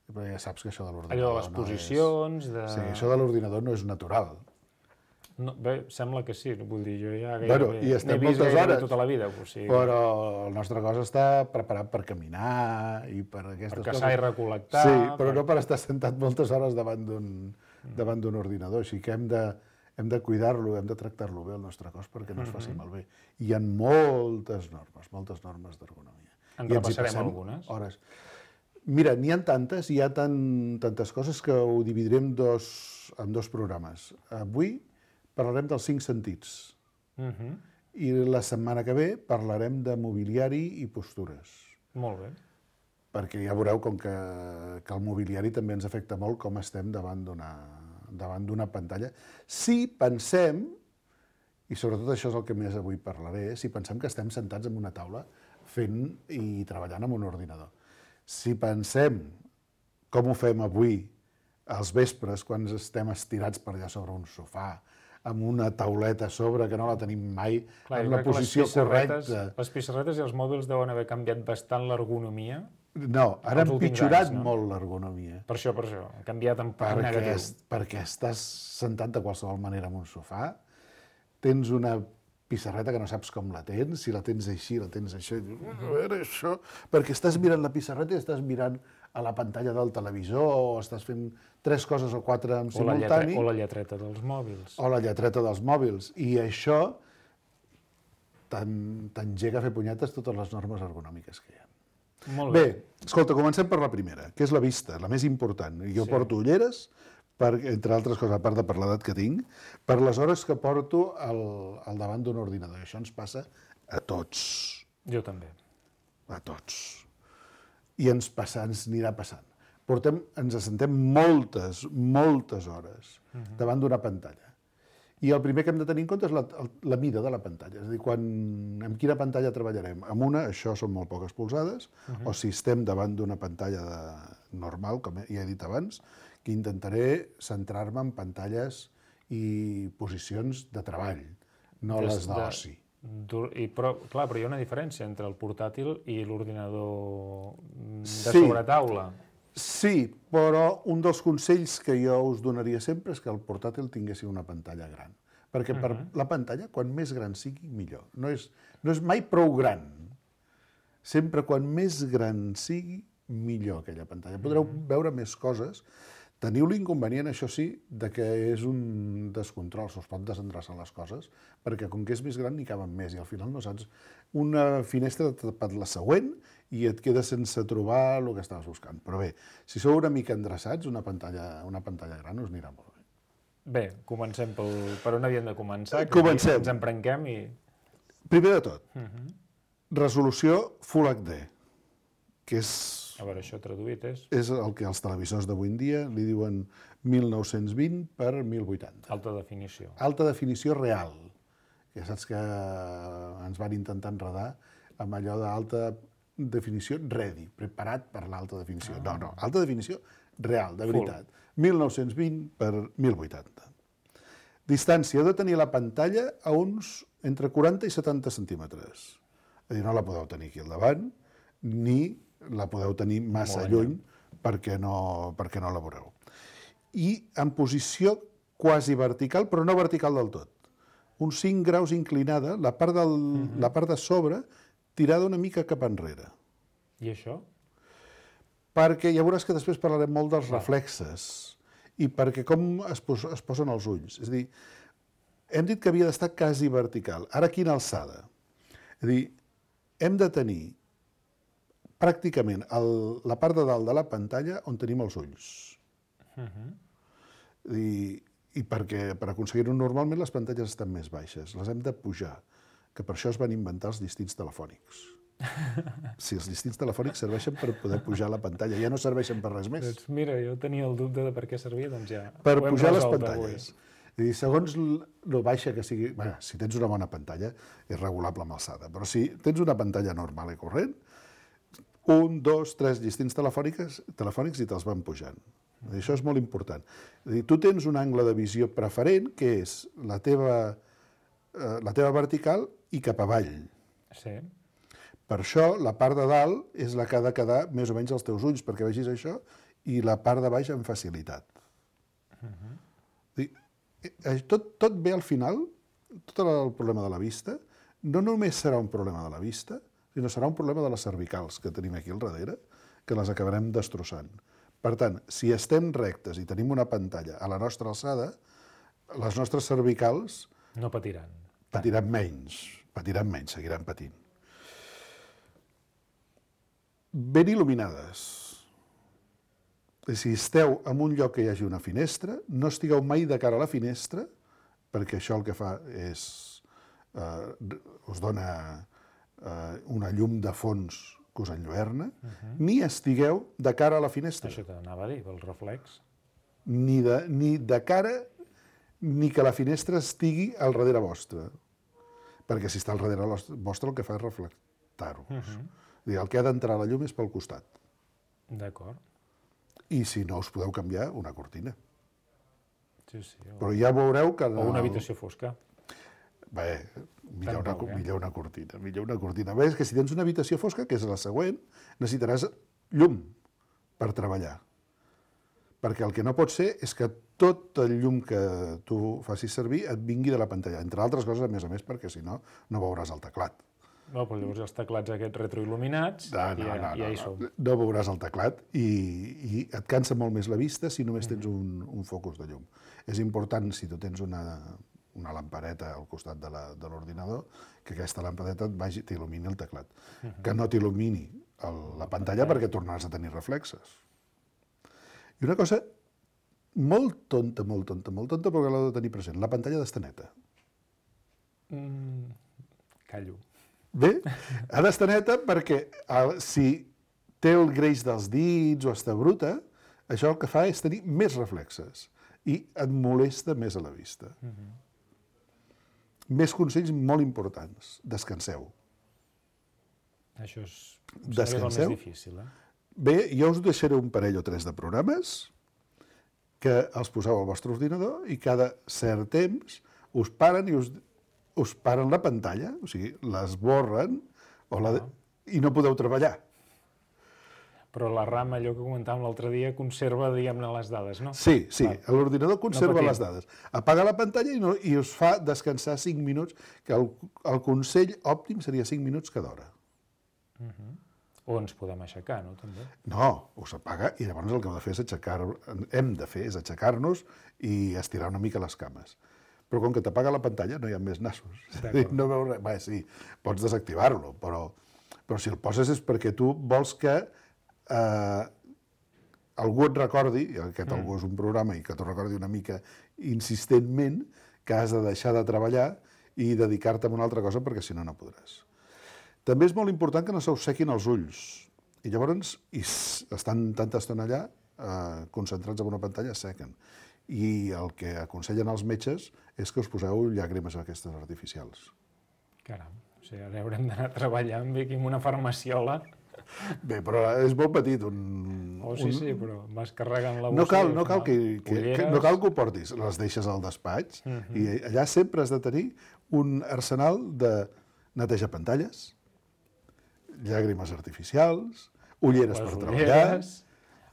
Perquè ja saps que això de l'ordinador Allò de les posicions... No és... de... Sí, això de l'ordinador no és natural. No, bé, sembla que sí, vull dir, jo ja Bueno, gairebé i n'he estem vist moltes gairebé hores, tota la vida. O sigui, però el nostre cos està preparat per caminar i per aquestes per coses. caçar i recol·lectar... Sí, però per... no per estar sentat moltes hores davant d'un davant d'un ordinador, així que hem de, hem de cuidar-lo, hem de tractar-lo bé, el nostre cos, perquè no es faci malbé. I hi ha moltes normes, moltes normes d'ergonomia. En I ens hi repassarem passem algunes. Hores. Mira, n'hi ha tantes, hi ha tan, tantes coses que ho dividirem dos, en dos programes. Avui parlarem dels cinc sentits. Uh -huh. I la setmana que ve parlarem de mobiliari i postures. Molt bé. Perquè ja veureu com que, que el mobiliari també ens afecta molt com estem davant d'una davant d'una pantalla. Si pensem, i sobretot això és el que més avui parlaré, si pensem que estem sentats en una taula fent i treballant amb un ordinador. Si pensem com ho fem avui als vespres quan estem estirats per allà sobre un sofà, amb una tauleta a sobre que no la tenim mai, Clar, en la posició correcta. Les pissarretes i els mòbils deuen haver canviat bastant l'ergonomia. No, ara els han últims pitjorat anys, no? molt l'ergonomia. Per això, per això. Ha canviat en part Perquè, negatiu. és, perquè estàs sentat de qualsevol manera en un sofà, tens una pissarreta que no saps com la tens, si la tens així, la tens això, i dius, a veure, això... Perquè estàs mirant la pissarreta i estàs mirant a la pantalla del televisor, o estàs fent tres coses o quatre en O la, lletre, simultani, o la lletreta dels mòbils. o la lletreta dels mòbils. I això t'engega a fer punyetes totes les normes ergonòmiques que hi ha. Molt bé. Bé, escolta, comencem per la primera, que és la vista, la més important. Jo Sí. porto ulleres per, entre altres coses, a part de per l'edat que tinc, per les hores que porto al, al davant d'un ordinador. I això ens passa a tots. Jo també. A tots. I ens passa, ens anirà passant. Portem, ens assentem moltes, moltes hores uh-huh. davant d'una pantalla. I el primer que hem de tenir en compte és la, la mida de la pantalla. És a dir, quan, amb quina pantalla treballarem? Amb una, això són molt poques polzades, uh-huh. o si estem davant d'una pantalla de, normal, com ja he dit abans, que intentaré centrar-me en pantalles i posicions de treball, no Des les d'oci. I, però, clar, però hi ha una diferència entre el portàtil i l'ordinador de sí. sobretaula. Sí, però un dels consells que jo us donaria sempre és que el portàtil tinguessi una pantalla gran. Perquè per uh-huh. la pantalla, quan més gran sigui, millor. No és, no és mai prou gran. Sempre quan més gran sigui, millor aquella pantalla. Podreu uh-huh. veure més coses. Teniu l'inconvenient, això sí, de que és un descontrol, se us pot desendreçar les coses, perquè com que és més gran n'hi caben més i al final no saps. Una finestra t'ha tapat la següent i et quedes sense trobar el que estaves buscant. Però bé, si sou una mica endreçats, una pantalla, una pantalla gran us anirà molt bé. Bé, comencem pel, per on havíem de començar. Comencem. Ens emprenquem i... Primer de tot, uh-huh. resolució Full H D, que és... A veure, això traduït és... És el que els televisors d'avui en dia li diuen mil nou-cents vint per mil vuitanta. Alta definició. Alta definició real. Ja saps que ens van intentar enredar amb allò d'alta definició ready, preparat per l'alta definició. Ah. No, no, alta definició real, de veritat. Full. mil nou-cents vint per mil vuitanta. Distància, heu de tenir la pantalla a uns entre quaranta i setanta centímetres. És a dir, no la podeu tenir aquí al davant, ni la podeu tenir massa Molt lluny perquè no, perquè no la veureu. I en posició quasi vertical, però no vertical del tot. Uns cinc graus inclinada, la part, del, uh-huh. la part de sobre tirada una mica cap enrere. I això? Perquè ja veuràs que després parlarem molt dels Va. reflexes i perquè com es, pos, es posen els ulls. És a dir, hem dit que havia d'estar quasi vertical. Ara quina alçada? És a dir, hem de tenir pràcticament el, la part de dalt de la pantalla on tenim els ulls. Uh-huh. I, i perquè per aconseguir-ho normalment les pantalles estan més baixes, les hem de pujar, que per això es van inventar els distints telefònics. Si els distints telefònics serveixen per poder pujar la pantalla, ja no serveixen per res més. Doncs mira, jo tenia el dubte de per què servia, doncs ja per pujar les pantalles. I segons el baixa que sigui... Bé, si tens una bona pantalla, és regulable amb alçada, però si tens una pantalla normal i corrent, un, dos, tres distints telefònics, telefònics i te'ls van pujant. Això és molt important. És a dir, tu tens un angle de visió preferent, que és la teva, eh, la teva vertical i cap avall. Sí. Per això, la part de dalt és la que ha de quedar més o menys als teus ulls, perquè vegis això, i la part de baix amb facilitat. Uh-huh. Dir, tot, tot ve al final, tot el problema de la vista, no només serà un problema de la vista, sinó serà un problema de les cervicals que tenim aquí al darrere, que les acabarem destrossant. Per tant, si estem rectes i tenim una pantalla a la nostra alçada, les nostres cervicals... No patiran. Patiran menys, patiran menys, seguiran patint. Ben il·luminades. Si esteu en un lloc que hi hagi una finestra, no estigueu mai de cara a la finestra, perquè això el que fa és... Eh, us dona eh, una llum de fons que us enlluerna, uh-huh. ni estigueu de cara a la finestra. Això t'anava a dir, el reflex. Ni de, ni de cara, ni que la finestra estigui al darrere vostre. Perquè si està al darrere vostre el que fa és reflectar-vos. Uh-huh. Dir, el que ha d'entrar la llum és pel costat. D'acord. I si no, us podeu canviar una cortina. Sí, sí. O... Però ja veureu que... O una habitació fosca. Bé, millor una, eh? millor una cortina, millor una cortina. Bé, és que si tens una habitació fosca, que és la següent, necessitaràs llum per treballar. Perquè el que no pot ser és que tot el llum que tu facis servir et vingui de la pantalla. Entre altres coses, a més a més, perquè si no, no veuràs el teclat. No, però llavors els teclats aquests retroil·luminats no, no, ja, no, ja hi no, som. No, no veuràs el teclat i, i et cansa molt més la vista si només tens un, un focus de llum. És important, si tu tens una... una lampareta al costat de l'ordinador, que aquesta lampareta t'il·lumini el teclat. Uh-huh. Que no t'il·lumini la pantalla perquè tornaràs a tenir reflexes. I una cosa molt tonta, molt tonta, molt tonta, però que l'heu de tenir present. La pantalla d'estar neta. Mm, callo. Bé, ha d'estar neta perquè el, si té el greix dels dits o està bruta, això el que fa és tenir més reflexes i et molesta més a la vista. Mm-hmm. Més consells molt importants. Descanseu. Això és Descanseu. el més difícil, eh? Bé, jo us deixaré un parell o tres de programes que els poseu al vostre ordinador i cada cert temps us paren i us, us paren la pantalla, o sigui, l'esborren o la, i no podeu treballar. Però la RAM, allò que comentàvem l'altre dia, conserva, diguem-ne, les dades, no? Sí, sí, l'ordinador conserva no les dades. Apaga la pantalla i, no, i us fa descansar cinc minuts, que el, el consell òptim seria cinc minuts cada hora. Uh-huh. O ens podem aixecar, no, també? No, us apaga i llavors el que heu de fer és aixecar, hem de fer és aixecar-nos i estirar una mica les cames. Però com que t'apaga la pantalla no hi ha més nassos. No veus res. Bé, sí, pots desactivar-lo, però, però si el poses és perquè tu vols que eh, algú et recordi, i aquest mm. algú és un programa, i que t'ho recordi una mica insistentment, que has de deixar de treballar i dedicar-te a una altra cosa perquè si no, no podràs. També és molt important que no se us sequin els ulls. I llavors, i estan tanta estona allà, eh, concentrats en una pantalla, es sequen. I el que aconsellen els metges és que us poseu llàgrimes aquestes artificials. Caram, o sigui, ara haurem d'anar treballant bé aquí amb una farmaciola. Bé, però és molt petit. Un, oh, sí, un... sí, però vas carregant la bossa. No cal, no cal que, que, que, no cal que ho portis, les deixes al despatx uh-huh. i allà sempre has de tenir un arsenal de netejar pantalles, llàgrimes artificials, ulleres les per ulleres, treballar...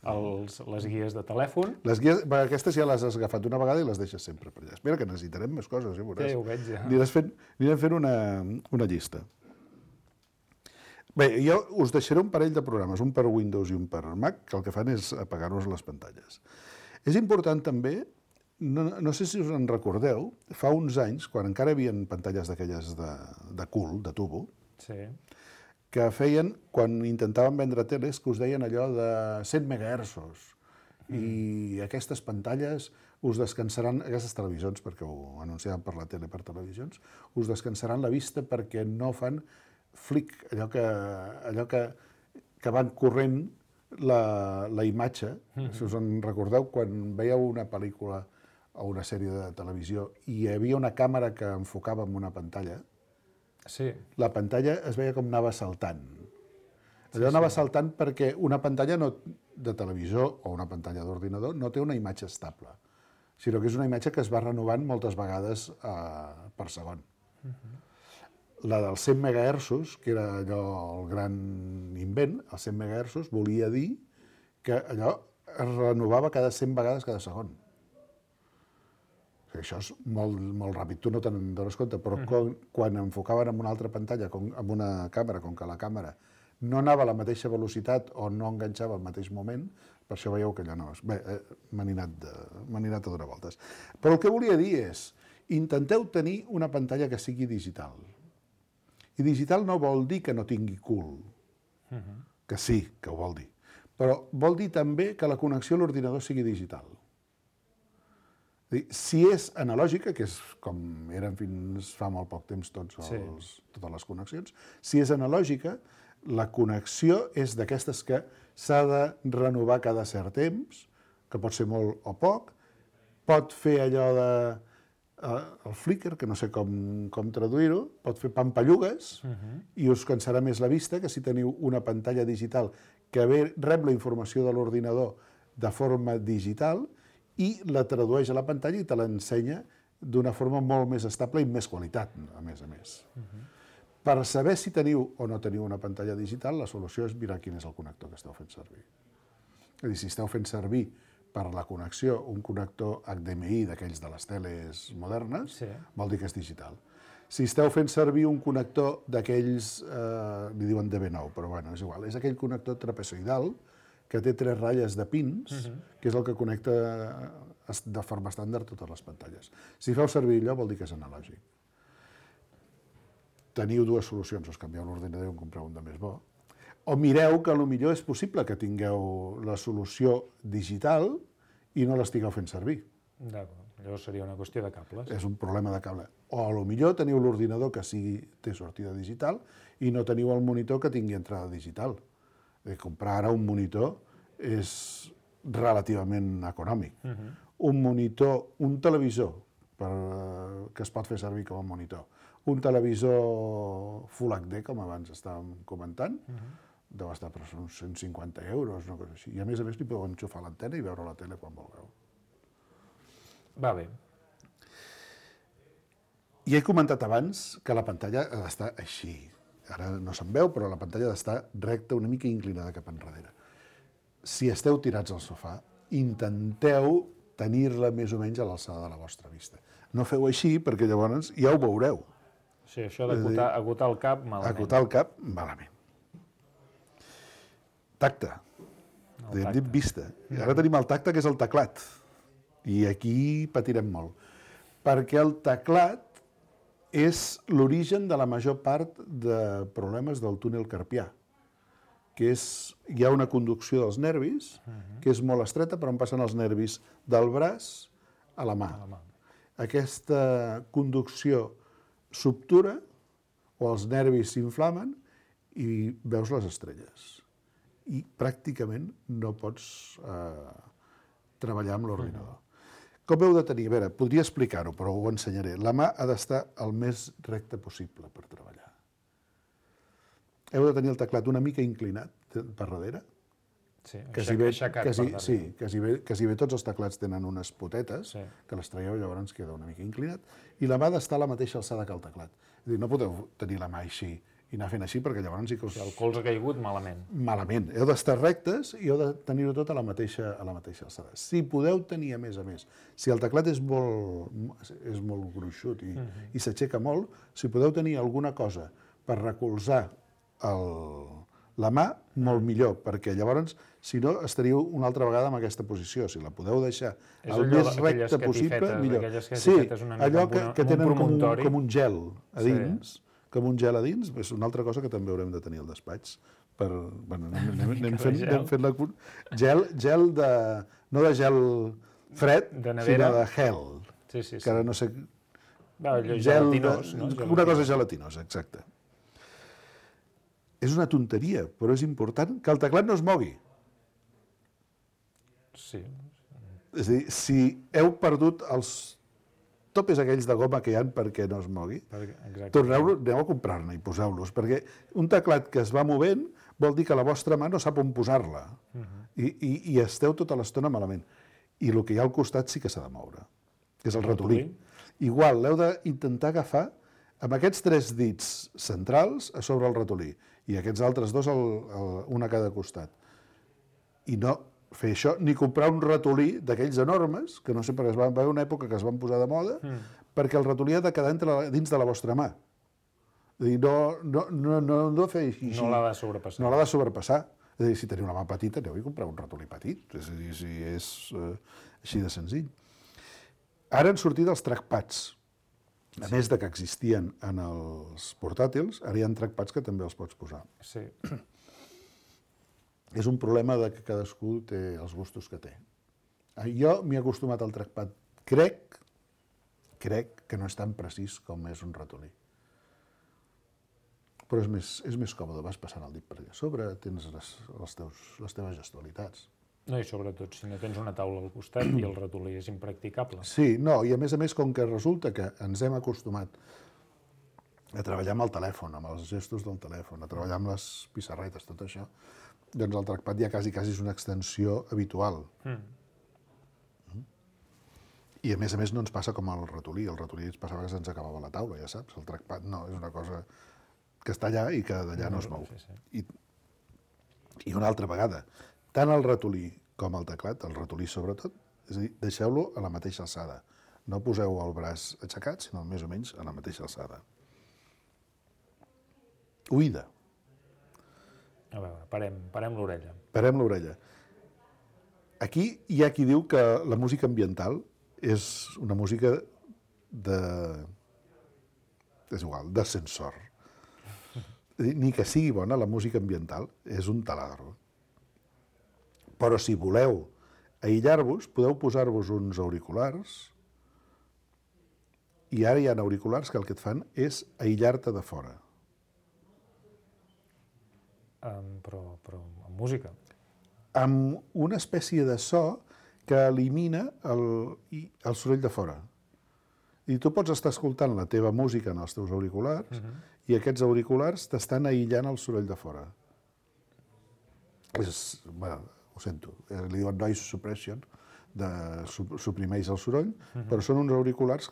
Els, les guies de telèfon. Les guies, aquestes ja les has agafat una vegada i les deixes sempre per allà. Espera, que necessitarem més coses, ja veuràs. Sí, ho veig, ja. Anirem fent, anirem fent una, una llista. Bé, jo us deixaré un parell de programes, un per Windows i un per Mac, que el que fan és apagar-nos les pantalles. És important també, no, no sé si us en recordeu, fa uns anys, quan encara hi havia pantalles d'aquelles de, de cul, de tubo, sí. que feien, quan intentaven vendre teles, que us deien allò de cent megahertzos. Mm. I aquestes pantalles us descansaran, aquestes televisions, perquè ho anunciaven per la tele, per televisions, us descansaran la vista perquè no fan flic, allò que, allò que, que van corrent la, la imatge. Mm-hmm. Si us en recordeu, quan veieu una pel·lícula o una sèrie de televisió i hi havia una càmera que enfocava en una pantalla, sí. la pantalla es veia com anava saltant. Allò sí, anava sí. saltant perquè una pantalla no, de televisor o una pantalla d'ordinador no té una imatge estable, sinó que és una imatge que es va renovant moltes vegades eh, per segon. Uh-huh. La dels cent megahertzos, que era allò el gran invent, els cent megahertzos volia dir que allò es renovava cada cent vegades cada segon. Això és molt, molt ràpid, tu no te'n dones compte, però uh-huh. quan, quan enfocaven en una altra pantalla, com, amb una càmera, com que la càmera no anava a la mateixa velocitat o no enganxava al mateix moment, per això veieu que allò no és... Bé, eh, m'han anat, de, m'han anat a donar voltes. Però el que volia dir és, intenteu tenir una pantalla que sigui digital. I digital no vol dir que no tingui cul, uh-huh. que sí, que ho vol dir, però vol dir també que la connexió a l'ordinador sigui digital. Si és analògica, que és com eren fins fa molt poc temps tots els, sí. totes les connexions, si és analògica, la connexió és d'aquestes que s'ha de renovar cada cert temps, que pot ser molt o poc, pot fer allò de... Eh, el flicker, que no sé com, com traduir-ho, pot fer pampallugues uh-huh. i us cansarà més la vista que si teniu una pantalla digital que ve, rep la informació de l'ordinador de forma digital i la tradueix a la pantalla i te l'ensenya d'una forma molt més estable i amb més qualitat, a més a més. Uh-huh. Per saber si teniu o no teniu una pantalla digital, la solució és mirar quin és el connector que esteu fent servir. És a dir, si esteu fent servir per la connexió un connector H D M I d'aquells de les teles modernes, sí. vol dir que és digital. Si esteu fent servir un connector d'aquells, eh, li diuen D B nou, però bueno, és igual, és aquell connector trapezoidal que té tres ratlles de pins, uh-huh. que és el que connecta de forma estàndard totes les pantalles. Si feu servir allò, vol dir que és analògic. Teniu dues solucions, us canvieu l'ordinador i en compreu un de més bo, o mireu que potser és possible que tingueu la solució digital i no l'estigueu fent servir. D'acord, llavors seria una qüestió de cables. És un problema de cable. O potser teniu l'ordinador que sigui, té sortida digital i no teniu el monitor que tingui entrada digital. Eh, comprar ara un monitor és relativament econòmic. Uh-huh. Un monitor, un televisor per, que es pot fer servir com a monitor, un televisor Full H D, com abans estàvem comentant, uh-huh. deu estar per uns cent cinquanta euros, una cosa així. I a més a més li podeu enxufar l'antena i veure la tele quan vulgueu. Va bé. I he comentat abans que la pantalla ha d'estar així. Ara no se'n veu, però la pantalla ha d'estar recta, una mica inclinada cap enrere. Si esteu tirats al sofà, intenteu tenir-la més o menys a l'alçada de la vostra vista. No feu així, perquè llavors ja ho veureu. Sí, això d'acotar acotar el cap, malament. Acotar el cap, malament. Tacte. Hem dit vista. I ara tenim el tacte, que és el teclat. I aquí patirem molt. Perquè el teclat és l'origen de la major part de problemes del túnel carpià, que és, hi ha una conducció dels nervis, que és molt estreta, però on passen els nervis del braç a la mà. Aquesta conducció s'obtura, o els nervis s'inflamen, i veus les estrelles. I pràcticament no pots eh, treballar amb l'ordinador. Com heu de tenir? A veure, podria explicar-ho, però ho ensenyaré. La mà ha d'estar el més recta possible per treballar. Heu de tenir el teclat una mica inclinat per darrere. Sí, quasi bé, aixecat quasi, per darrere. sí, quasi bé, quasi bé tots els teclats tenen unes potetes, Sí. que les traieu, llavors queda una mica inclinat, i la mà ha d'estar a la mateixa alçada que el teclat. És a dir, no podeu tenir la mà així i anar fent així, perquè llavors sí que us... El colze ha caigut malament. Malament. Heu d'estar rectes i heu de tenir-ho tot a la mateixa, a la mateixa alçada. Si podeu tenir, a més a més, si el teclat és molt, és molt gruixut i, uh-huh. i s'aixeca molt, si podeu tenir alguna cosa per recolzar el, la mà, molt millor, perquè llavors, si no, estaríeu una altra vegada en aquesta posició. Si la podeu deixar És el allò, més recte possible, millor. Sí, allò que, que tenen com un, com un gel a dins, sí. com un gel a dins, és una altra cosa que també haurem de tenir al despatx. Per, bueno, anem, anem, anem, fent, anem fent la... Gel, gel de... No de gel fred, de sinó de gel. Sí, sí, sí. Que ara no sé... Va, gelatinós, de, no? Una cosa gelatinosa, exacte. És una tonteria, però és important que el teclat no es mogui. Sí. És a dir, si heu perdut els topes aquells de goma que hi ha perquè no es mogui, torneu-lo, aneu a comprar-ne i poseu-los, perquè un teclat que es va movent vol dir que la vostra mà no sap on posar-la, uh-huh. I, i, i esteu tota l'estona malament. I el que hi ha al costat sí que s'ha de moure, que és el ratolí. Igual, l'heu d'intentar agafar amb aquests tres dits centrals a sobre el ratolí, i aquests altres dos, el, el, un a cada costat. I no fer això, ni comprar un ratolí d'aquells enormes, que no sé, perquè es va haver una època que es van posar de moda, mm. perquè el ratolí ha de quedar entre la, dins de la vostra mà. És a dir, no, no, no, no, no fer així. No l'ha de sobrepassar. No l'ha de sobrepassar. És a dir, si teniu una mà petita, aneu a comprar un ratolí petit. És a dir, si és eh, així de senzill. Ara han sortit els trackpads. A sí. més de que existien en els portàtils, ara hi ha trackpads que també els pots posar. Sí. És un problema de que cadascú té els gustos que té. Jo m'he acostumat al trackpad. Crec, crec que no és tan precís com és un ratolí. Però és més, és més còmode, vas passant el dit per allà sobre, tens les, els teus, les teves gestualitats. No, i sobretot, si no tens una taula al costat i el ratolí és impracticable. Sí, no, i a més a més, com que resulta que ens hem acostumat a treballar amb el telèfon, amb els gestos del telèfon, a treballar amb les pissarretes, tot això, doncs el trackpad ja quasi, quasi és una extensió habitual. Mm. I a més a més no ens passa com el ratolí. El ratolí ens passava que se'ns acabava la taula, ja saps. El trackpad no, és una cosa que està allà i que d'allà no es mou. Sí, sí. I, I una altra vegada, tant el ratolí com el teclat, el ratolí sobretot, és a dir, deixeu-lo a la mateixa alçada. No poseu el braç aixecat, sinó més o menys a la mateixa alçada. Oïda. A veure, parem, parem l'orella. Parem l'orella. Aquí hi ha qui diu que la música ambiental és una música de... és igual, d'ascensor. Ni que sigui bona, la música ambiental és un taladro. Però si voleu aïllar-vos, podeu posar-vos uns auriculars i ara hi ha auriculars que el que et fan és aïllar-te de fora. Um, però, però amb música. Amb una espècie de so que elimina el, el soroll de fora. I tu pots estar escoltant la teva música en els teus auriculars uh-huh. i aquests auriculars t'estan aïllant el soroll de fora. És, bueno, ho sento, li diuen noise suppression, de, suprimeix el soroll, uh-huh. però són uns auriculars,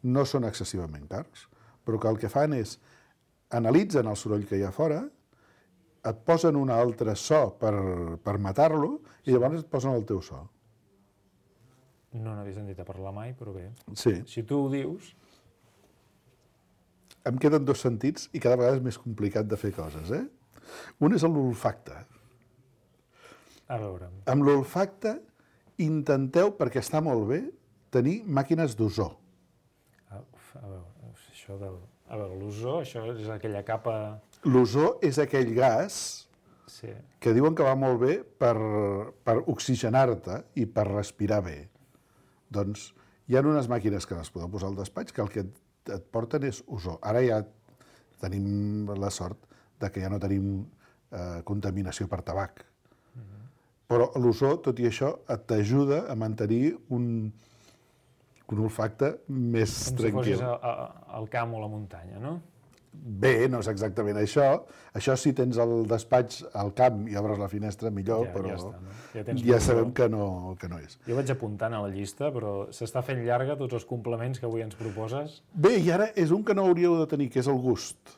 no són excessivament cars, però que el que fan és analitzen el soroll que hi ha fora, et posen un altre so per, per matar-lo i llavors et posen el teu so. No n'havia sentit a parlar mai, però bé. Sí. Si tu ho dius... Em queden dos sentits i cada vegada és més complicat de fer coses, eh? Un és l'olfacte. A veure... Amb l'olfacte intenteu, perquè està molt bé, tenir màquines d'ozó. A, a veure, això del... A veure, l'ozó, això és aquella capa... L'ozó és aquell gas sí. que diuen que va molt bé per, per oxigenar-te i per respirar bé. Doncs hi ha unes màquines que les podeu posar al despatx que el que et, et porten és ozó. Ara ja tenim la sort de que ja no tenim eh, contaminació per tabac. Uh-huh. Però l'ozó, tot i això, t'ajuda a mantenir un, un olfacte més Com tranquil. Com si fossis a, a, al camp o a la muntanya, no? Bé, no és exactament això. Això si tens el despatx al camp i obres la finestra, millor, ja, però ja, està, no? ja, ja sabem que no, que no és. Jo vaig apuntant a la llista, però s'està fent llarga tots els complements que avui ens proposes. Bé, i ara és un que no hauríeu de tenir, que és el gust.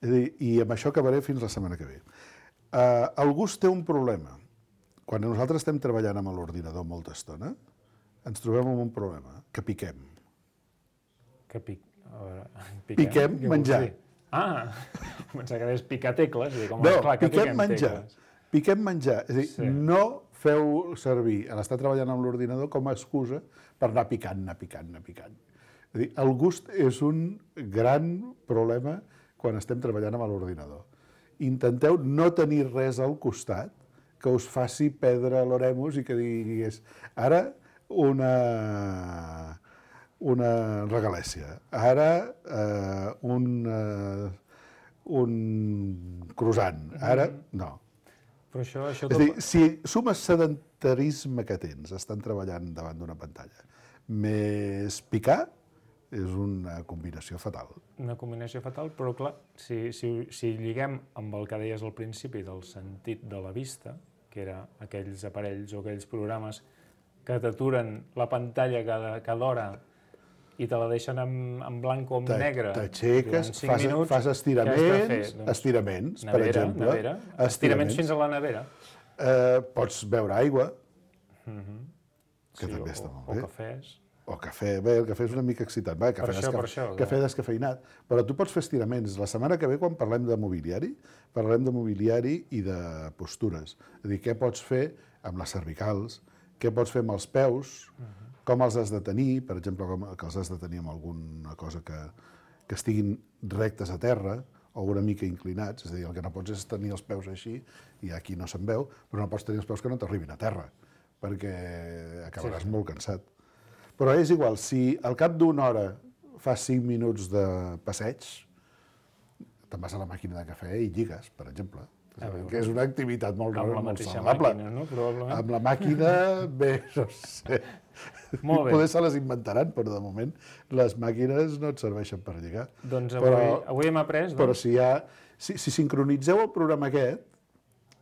És a dir, i amb això acabaré fins la setmana que ve. Uh, el gust té un problema. Quan nosaltres estem treballant amb l'ordinador molta estona, ens trobem amb un problema, que piquem. Que pic... A veure, piquem, piquem menjar. Ah, pensava que deies picar tecles. I dir, com no, clar, que piquem menjar. Tecles. Piquem menjar. És a dir, sí. no feu servir a l'estar treballant amb l'ordinador com a excusa per anar picant, anar picant, anar picant. És a dir, el gust és un gran problema quan estem treballant amb l'ordinador. Intenteu no tenir res al costat que us faci perdre l'oremus i que digués ara una... una regalèssia. Ara eh, un, eh, un croissant. Ara, no. Però això, això És a dir, si sumes sedentarisme que tens, estan treballant davant d'una pantalla, més picar, és una combinació fatal. Una combinació fatal, però clar, si, si, si lliguem amb el que deies al principi del sentit de la vista, que era aquells aparells o aquells programes que t'aturen la pantalla cada, cada hora i te la deixen en, en blanc o en negre. T'aixeques, fas, minuts, fas estiraments, doncs, estiraments, nevera, per exemple. Nevera, estiraments. estiraments fins a la nevera. Eh, pots beure aigua, mm-hmm. que sí, també o, està molt bé. bé. O cafès. O cafè, bé, el cafè és una mica excitant. Bé, cafè, per això, desca... per això, cafè descafeinat. Però tu pots fer estiraments. La setmana que ve, quan parlem de mobiliari, parlem de mobiliari i de postures. És a dir, què pots fer amb les cervicals, què pots fer amb els peus, uh-huh. com els has de tenir, per exemple, com, que els has de tenir amb alguna cosa que, que estiguin rectes a terra o una mica inclinats, és a dir, el que no pots és tenir els peus així, i aquí no se'n veu, però no pots tenir els peus que no t'arribin a terra, perquè acabaràs sí, sí. molt cansat. Però és igual, si al cap d'una hora fas cinc minuts de passeig, te'n vas a la màquina de cafè i lligues, per exemple. Que és una activitat molt, amb la molt mateixa saludable. Màquina, no? Probablement. Amb la màquina, bé, no sé. Molt bé. Poder se les inventaran, però de moment les màquines no et serveixen per lligar. Doncs avui, però, avui hem après... Doncs... Però si, ha, si, si sincronitzeu el programa aquest,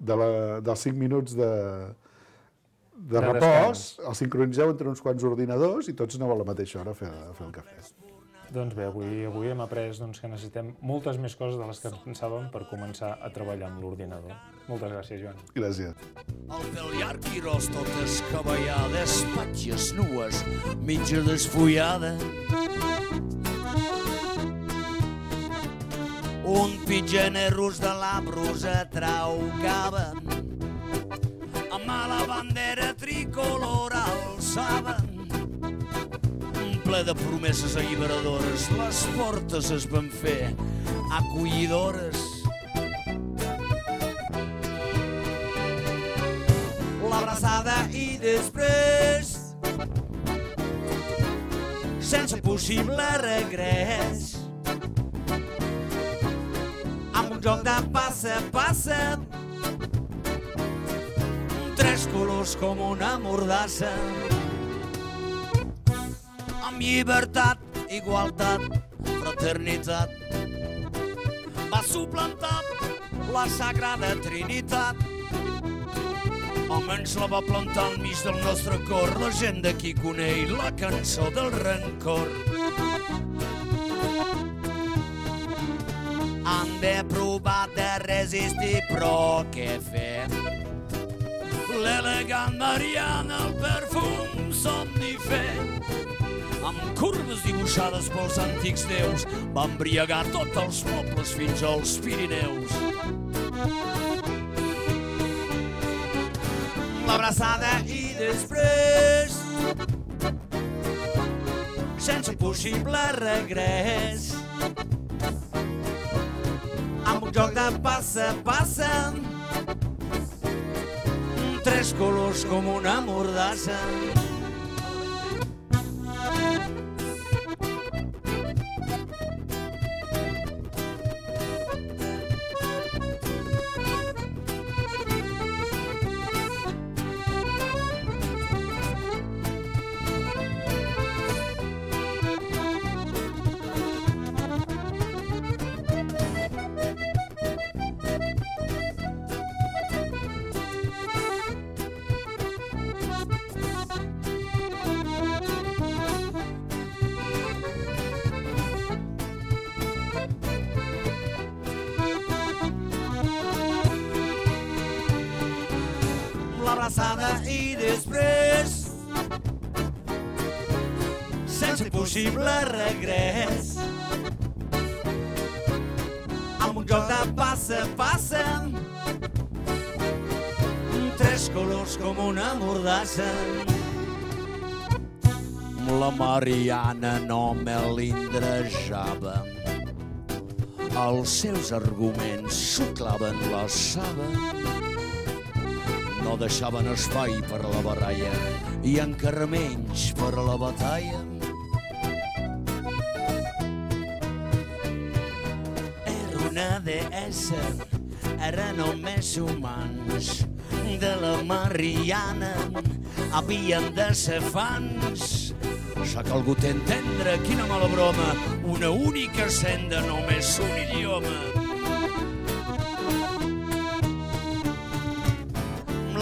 de la, dels cinc minuts de, de, de repòs, el sincronitzeu entre uns quants ordinadors i tots aneu a la mateixa hora a fer, a fer el cafè. Doncs bé, avui, avui hem après doncs, que necessitem moltes més coses de les que ens pensàvem per començar a treballar amb l'ordinador. Moltes gràcies, Joan. Gràcies. El pèl llarg i ros totes cabellades, patges nues, mitja desfullada. Un pitgenerros de la brusa traucaven, amb la bandera tricolor alçaven. Ple de promeses alliberadores, les portes es van fer acollidores. L'abraçada i després, sense possible regrés, amb un joc de passa, passa, tres colors com una mordassa, amb llibertat, igualtat, fraternitat, va suplantar la Sagrada Trinitat. Almenys la va plantar al mig del nostre cor, la gent d'aquí coneix la cançó del rancor. Han de provar de resistir, però què fer? L'elegant Mariana, el perfum somnífer, amb curves dibuixades pels antics déus, va embriagar tots els pobles fins als Pirineus. L'abraçada i després, sense possible regrés, amb un joc de passa, passa, tres colors com una mordassa. L'abraçada i després, sense possible regrés, amb un joc de passa, passa, tres colors com una mordassa. La Mariana no melindrejava, els seus arguments xuclaven la saba, no deixaven espai per a la baralla i encara menys per a la batalla. Era una deessa, era només humans, de la Mariana havien de ser fans. S'ha calgut entendre quina mala broma, una única senda, només un idioma.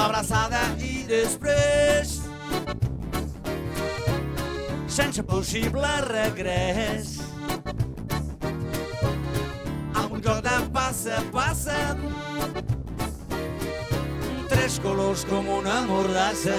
L'abraçada i després, sense possible regrés, amb un joc de passa, passa, tres colors com una mordassa.